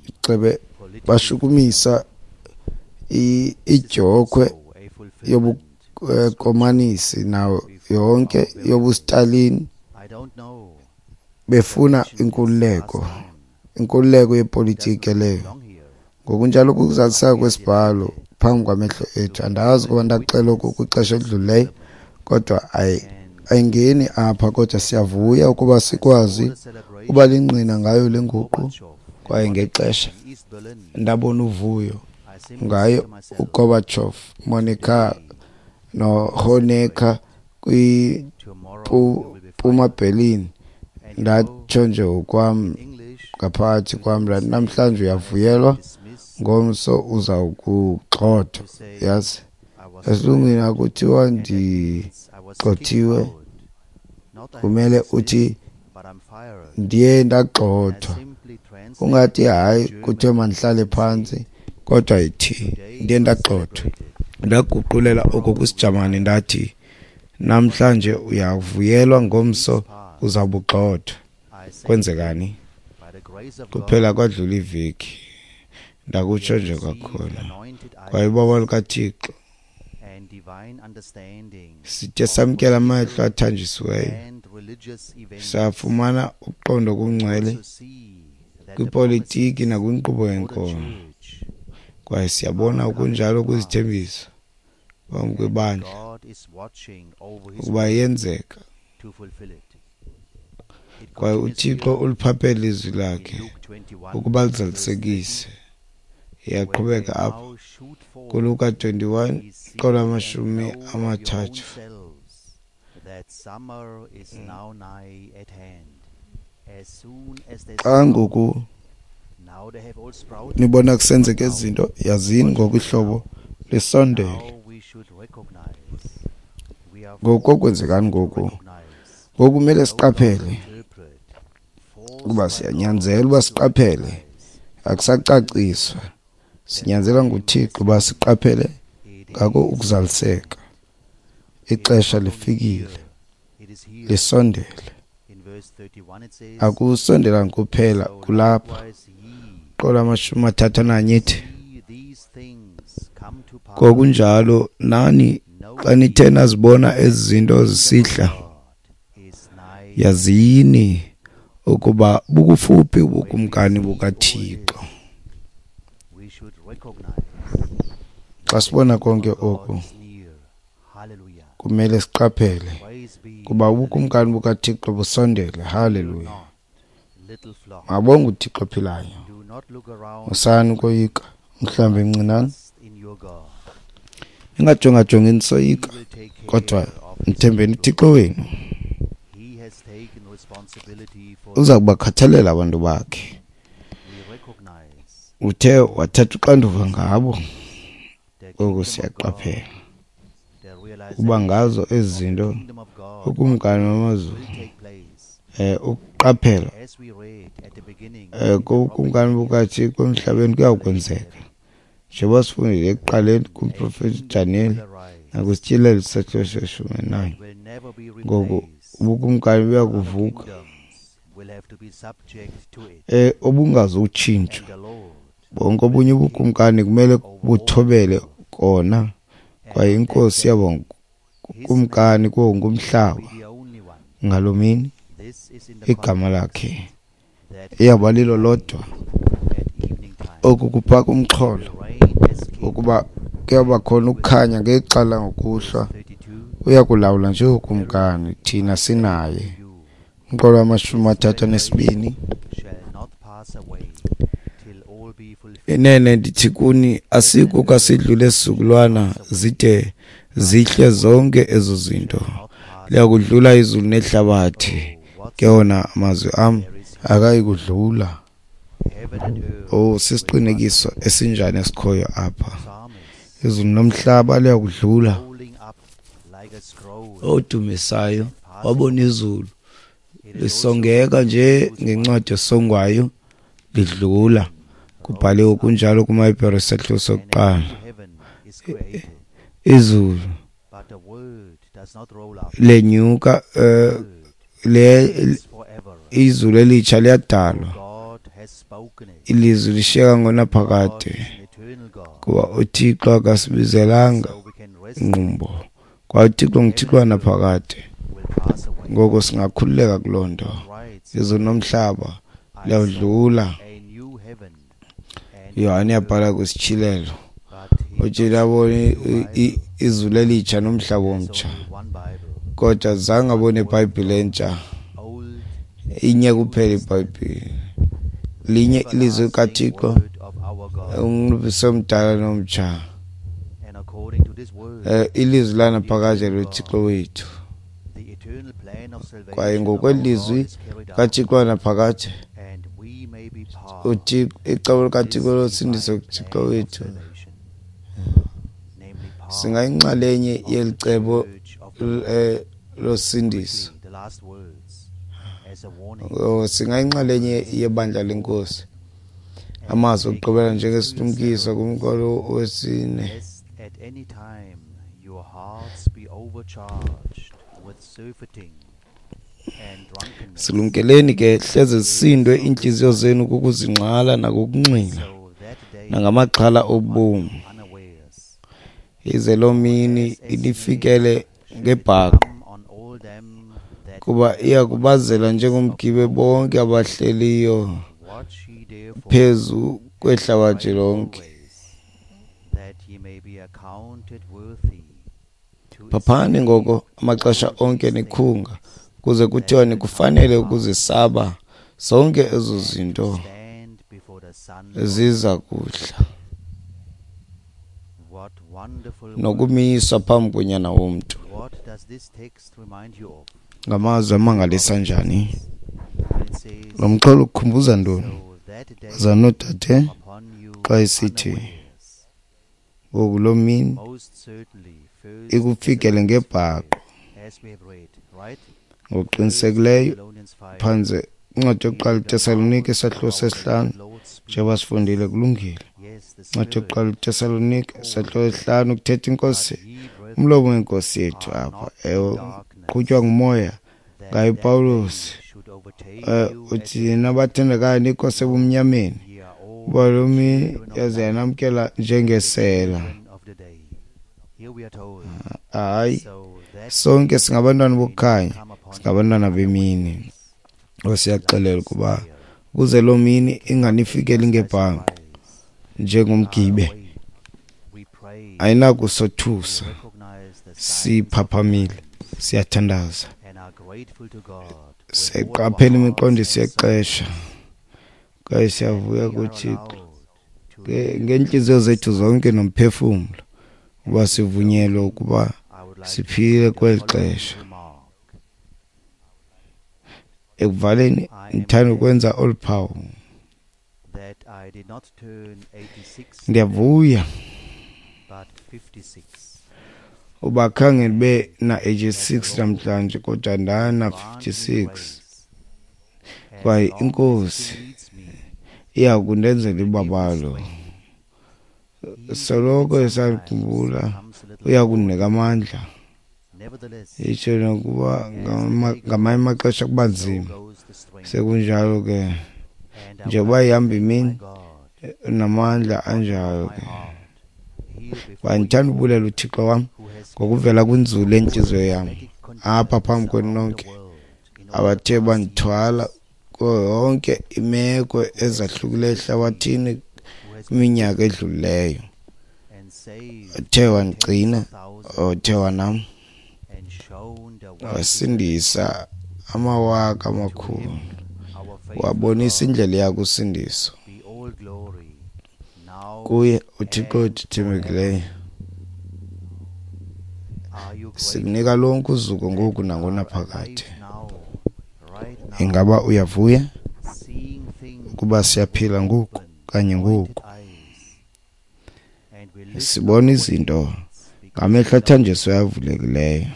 icebe bashukumisa idyokhwe yobukomanisi nayo yonke yobuStalin, befuna inkululeko, inkululeko yepolitiki leyo. Ngokunjalo kukuzaliseka kwesibhalo phambi kwamehlo ethu. Andazi kuba ndakuxela oku kwixesha elidlulileyo, kodwa ayingeni apha, kodwa siyavuya ukuba sikwazi uba lingqina ngayo le nguqu. Kwaye ngexesha ndabona uvuyo ngayo uGorbachev, Monica noHonecker kwiMpuma Berlin, ndatsho nje ngokwam ngaphakathi kwam ndathi namhlanje uyavuyelwa, ngomso uzawukugxothwa. Yazi esilungwini akuthiwa ndigxothiwe, kumele uthi ndiye ndagxothwa. Ungathi hayi kuthiwe mandihlale phantsi, kodwa ithi ndiye ndagxothwa. Ndaguqulela oko kwisiJamani ndathi namhlanje uyavuyelwa, ngomso uzawubugxothwa. Kwenzekani? Kuphela kwadlula iveki, ndakutsho nje kwakhona. Kwaye ubaba lukaThixo sithe samkela amehlo athanjisiweyo, safumana uqondo okungcwele kwipolitiki nakwinkqubo yenkolo. Kwaye siyabona okunjalo kwizithembiso phambi kwebandla ukuba yenzeka. Kwaye uThixo uliphaphele ilizwi lakhe ukuba lizalisekise. Iyaqhubeka apha kuLuka twenty-one iqolo amashumi amathathu. Xa ngoku nibona kusenzeka izinto, yazini ngoku ihlobo lisondele. Ngoku kwenzekani ngoku? Ngoku kumele siqaphele ukuba siyanyanzelwa uba siqaphele, akusacaciswa. Sinyanzelwa nguThixo uba siqaphele ngako ukuzaliseka. Ixesha lifikile, lisondele. Akusondelanga kuphela, kulapha. Qola amashumi amathathu ananye ithi, ngokunjalo nani xa nithe nazibona ezi zinto zisihla, yazini ukuba bukufuphi ubukumkani bukaThixo. Xa sibona konke oku, kumele siqaphele kuba ubukumkani bukaThixo busondele. Haleluya! Mabonge uThixo ophilayo. Musani ukoyika, mhlambi mncinane. Ningajongajongi nisoyika, kodwa mthembeni uThixo wenu. Uza kubakhathalela abantu bakhe. Uthe wathatha uxanduva ngabo. Ngoku siyaqaphela ukuba ngazo ezi zinto ukumkani wamazulu, eh ukuqaphela eh kukumkani bukaThixo emhlabeni kuyawukwenzeka. Njengoba sifundile ekuqaleni kumprofeti Daniel nakwisityhilelo isahluko seshumi nanye, ngoku ubukumkani buyakuvuka eh obungazutshintshwa. Bonke obunye ubukumkani kumele buthobele kona, kwaye inkosi yabo kumkani kuwo wonke umhlaba. Ngaloo mini igama lakhe iyawuba lilo lodwa. Oku kuphaka umxholo ukuba kuyawuba khona ukukhanya ngexa langokuhlwa. Uyakulawula njengokumkani, thina sinaye. Umqolo wamashumi amathathu anesibini. Inene ndithi kuni, asikho kasidlule sizukulwana zide zihle zonke ezo zinto. Liyakudlula izulu nehlabathi, ke wona amazwi am akayi kudlula. Oh, sisiqinisekiso esinjani esikhoyo apha. Izulu nomhlaba liyakudlula. Odumisayo wabona izulu Lisongeka nje ngencwadi esongwayo lidlula. Kubhaliwe kunjalo kumaHebhere isahluko sokuqala. Izulu lenyuka, le izulu elitsha liyadalwa, ilizwi lishiyeka ngonaphakade, kuba uThixo akasibizelanga ngqumbo, kwaye uThixo nguThixo wanaphakade. Ngoko singakhululeka kuloo nto. Izulu nomhlaba liyawudlula. Yohane yabhala kwisityhilelo, uthi labona izulu elitsha nomhlaba omtsha, kodwa zange abone iBhayibhile entsha. Inye kuphela iBhayibhile, linye ilizwi likaThixo, umnqophiso omdala nomtsha, ilizwi lanaphakade loThixo wethu. Kwaye ngokwelizwi kaThixo wanaphakade, uThixo, icebo likaThixo losindiso kuThixo wethu, singayinxalenye yeli cebo losindiso, singayinxalenye yebandla lenkosi. Amazwi okugqibela njengesilumkiso kumqolo wesine. Silumkeleni ke, hleze zisindwe iintliziyo zenu kukuzingxala nakukunxila nangamaxhala obomi, ize loo mini inifikele ngebhaqo, kuba iya kubazela njengomgibe bonke abahleliyo phezu kwehlabathi lonke. Phaphani ngoko amaxesha onke nikhunga, kuze kuthiwa nikufanele ukuzisaba zonke ezo zinto ziza kuhla, nokumiswa phambi koNyana womntu. Ngamazwi amangalisa njani lo mxholo ukukhumbuza ntoni, bazalwana noodade, xa esithi ngoku loo mini ikufikele ngebhaqo? Ngokuqinisekileyo phantse incwadi yokuqala iTesalonike isahluko sesihlanu, njengoba sifundile, kulungile. Incwadi yokuqala iTesalonike isahluko sesihlanu, kuthetha inkosi, umlomo wenkosi yethu apha, ewe, qhutywa ngumoya ngaye Pawulos, uthi nina bathandekayo nikho sebumnyameni, kuba loo mini yaze yanamkela njengesela. Hayi, sonke singabantwana bokukhanya, singabantwana bemini. Siyaxelela ukuba ukuze loo mini inganifikeli ngebhanqo njengomgibe, ayinakusothusa. Siphaphamile, siyathandaza, siyayiqaphela imiqondiso yexesha, kwaye siyavuya kuThixo ngeentliziyo zethu zonke nomphefumlo uba sivunyelwe ukuba siphile kweli xesha. Ekuvaleni, ndithanda ukwenza olu phawu. Ndiyavuya uba khange ndibe na-eighty-six namhlanje, kodwa ndana fifty-six. Kwaye inkosi iya kundenzela ibabalo. Soloko esakhumbula, uya kundinika amandla. Itsho nokuba ngamanye amaxesha kuba nzima. Sekunjalo ke, njengoba ihamba imini, namandla anjalo ke. Kwaye ndithanda ubulela uThixo wam ngokuvela kwinzulu yentliziyo yam apha phambi kwenu nonke abathe bandithwala kuyo yonke imeko ezahlukileyo ehlabathini kwiminyaka edlulileyo. Othe wandigcina, othe wanam, wasindisa amawaka amakhulu, wabonisa indlela yakusindiso. Kuye uThixo wethu othembekileyo sikunika lonke uzuko ngoku nangonaphakade. Ingaba uyavuya ukuba siyaphila ngoku kanye ngoku? Sibona izinto ngamehlo athanjiswe avulekileyo,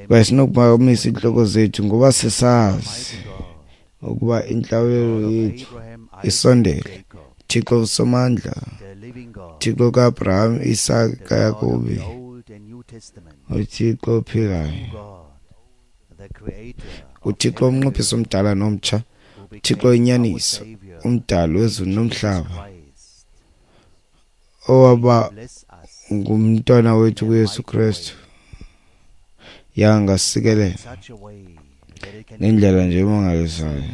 Kwaye sinokuphakamisa iintloko zethu ngoba sisazi ukuba intlawulelo yethu isondele. Thixo uSomandla, Thixo kaAbraham, Isaka, kaYakobi, uThixo ophilayo, uThixo umnqophiso omdala nomtsha, uThixo inyaniso, umdali wezulu nomhlaba, owaba ngumntwana wethu kuYesu Kristu, yangasikelela ngendlela nje emangalisayo.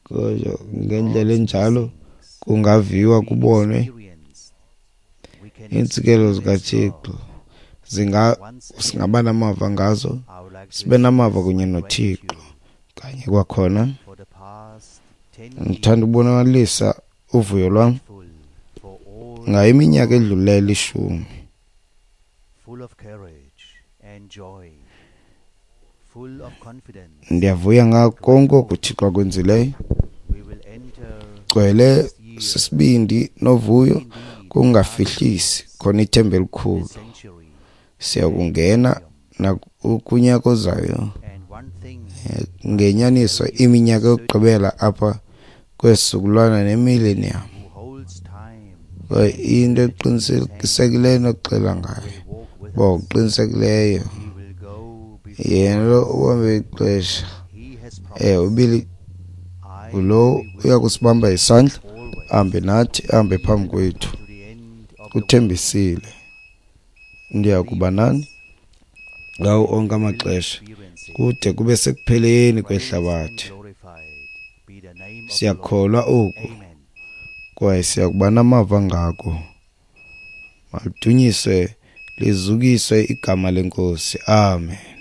Kodwa ngendlela enjalo kungaviwa kubonwe iintsikelelo zikaThixo, zinga singaba namava ngazo, sibe namava kunye noThixo. Kanye kwakhona ngithanda ukubonakalisa uvuyo lwam ngayo iminyaka edlulileyo elishumi, ndiyavuya ngako konke oku uThixo akwenzileyo. Gcwele sisibindi novuyo, kungafihlisi khona ithemba elikhulu. Siyakungena nakunyaka ozayo ngenyaniso iminyaka yokugqibela apha kwesizukulwana nemillennium. Kwaye into eqinisekileyo nokuxela ngayo, uba ngokuqinisekileyo yena lo ubambe ixesha, eh ubili ngulo uya kusibamba isandla, ahambe nathi, ahambe phambi kwethu. Uthembisile, ndiya kuba nani ngawo onke amaxesha kude kube sekupheleni kwehlabathi. Siyakholwa oku kwaye siyakuba namava ngako. Maludunyiswe lizukiswe igama leNkosi. Amen.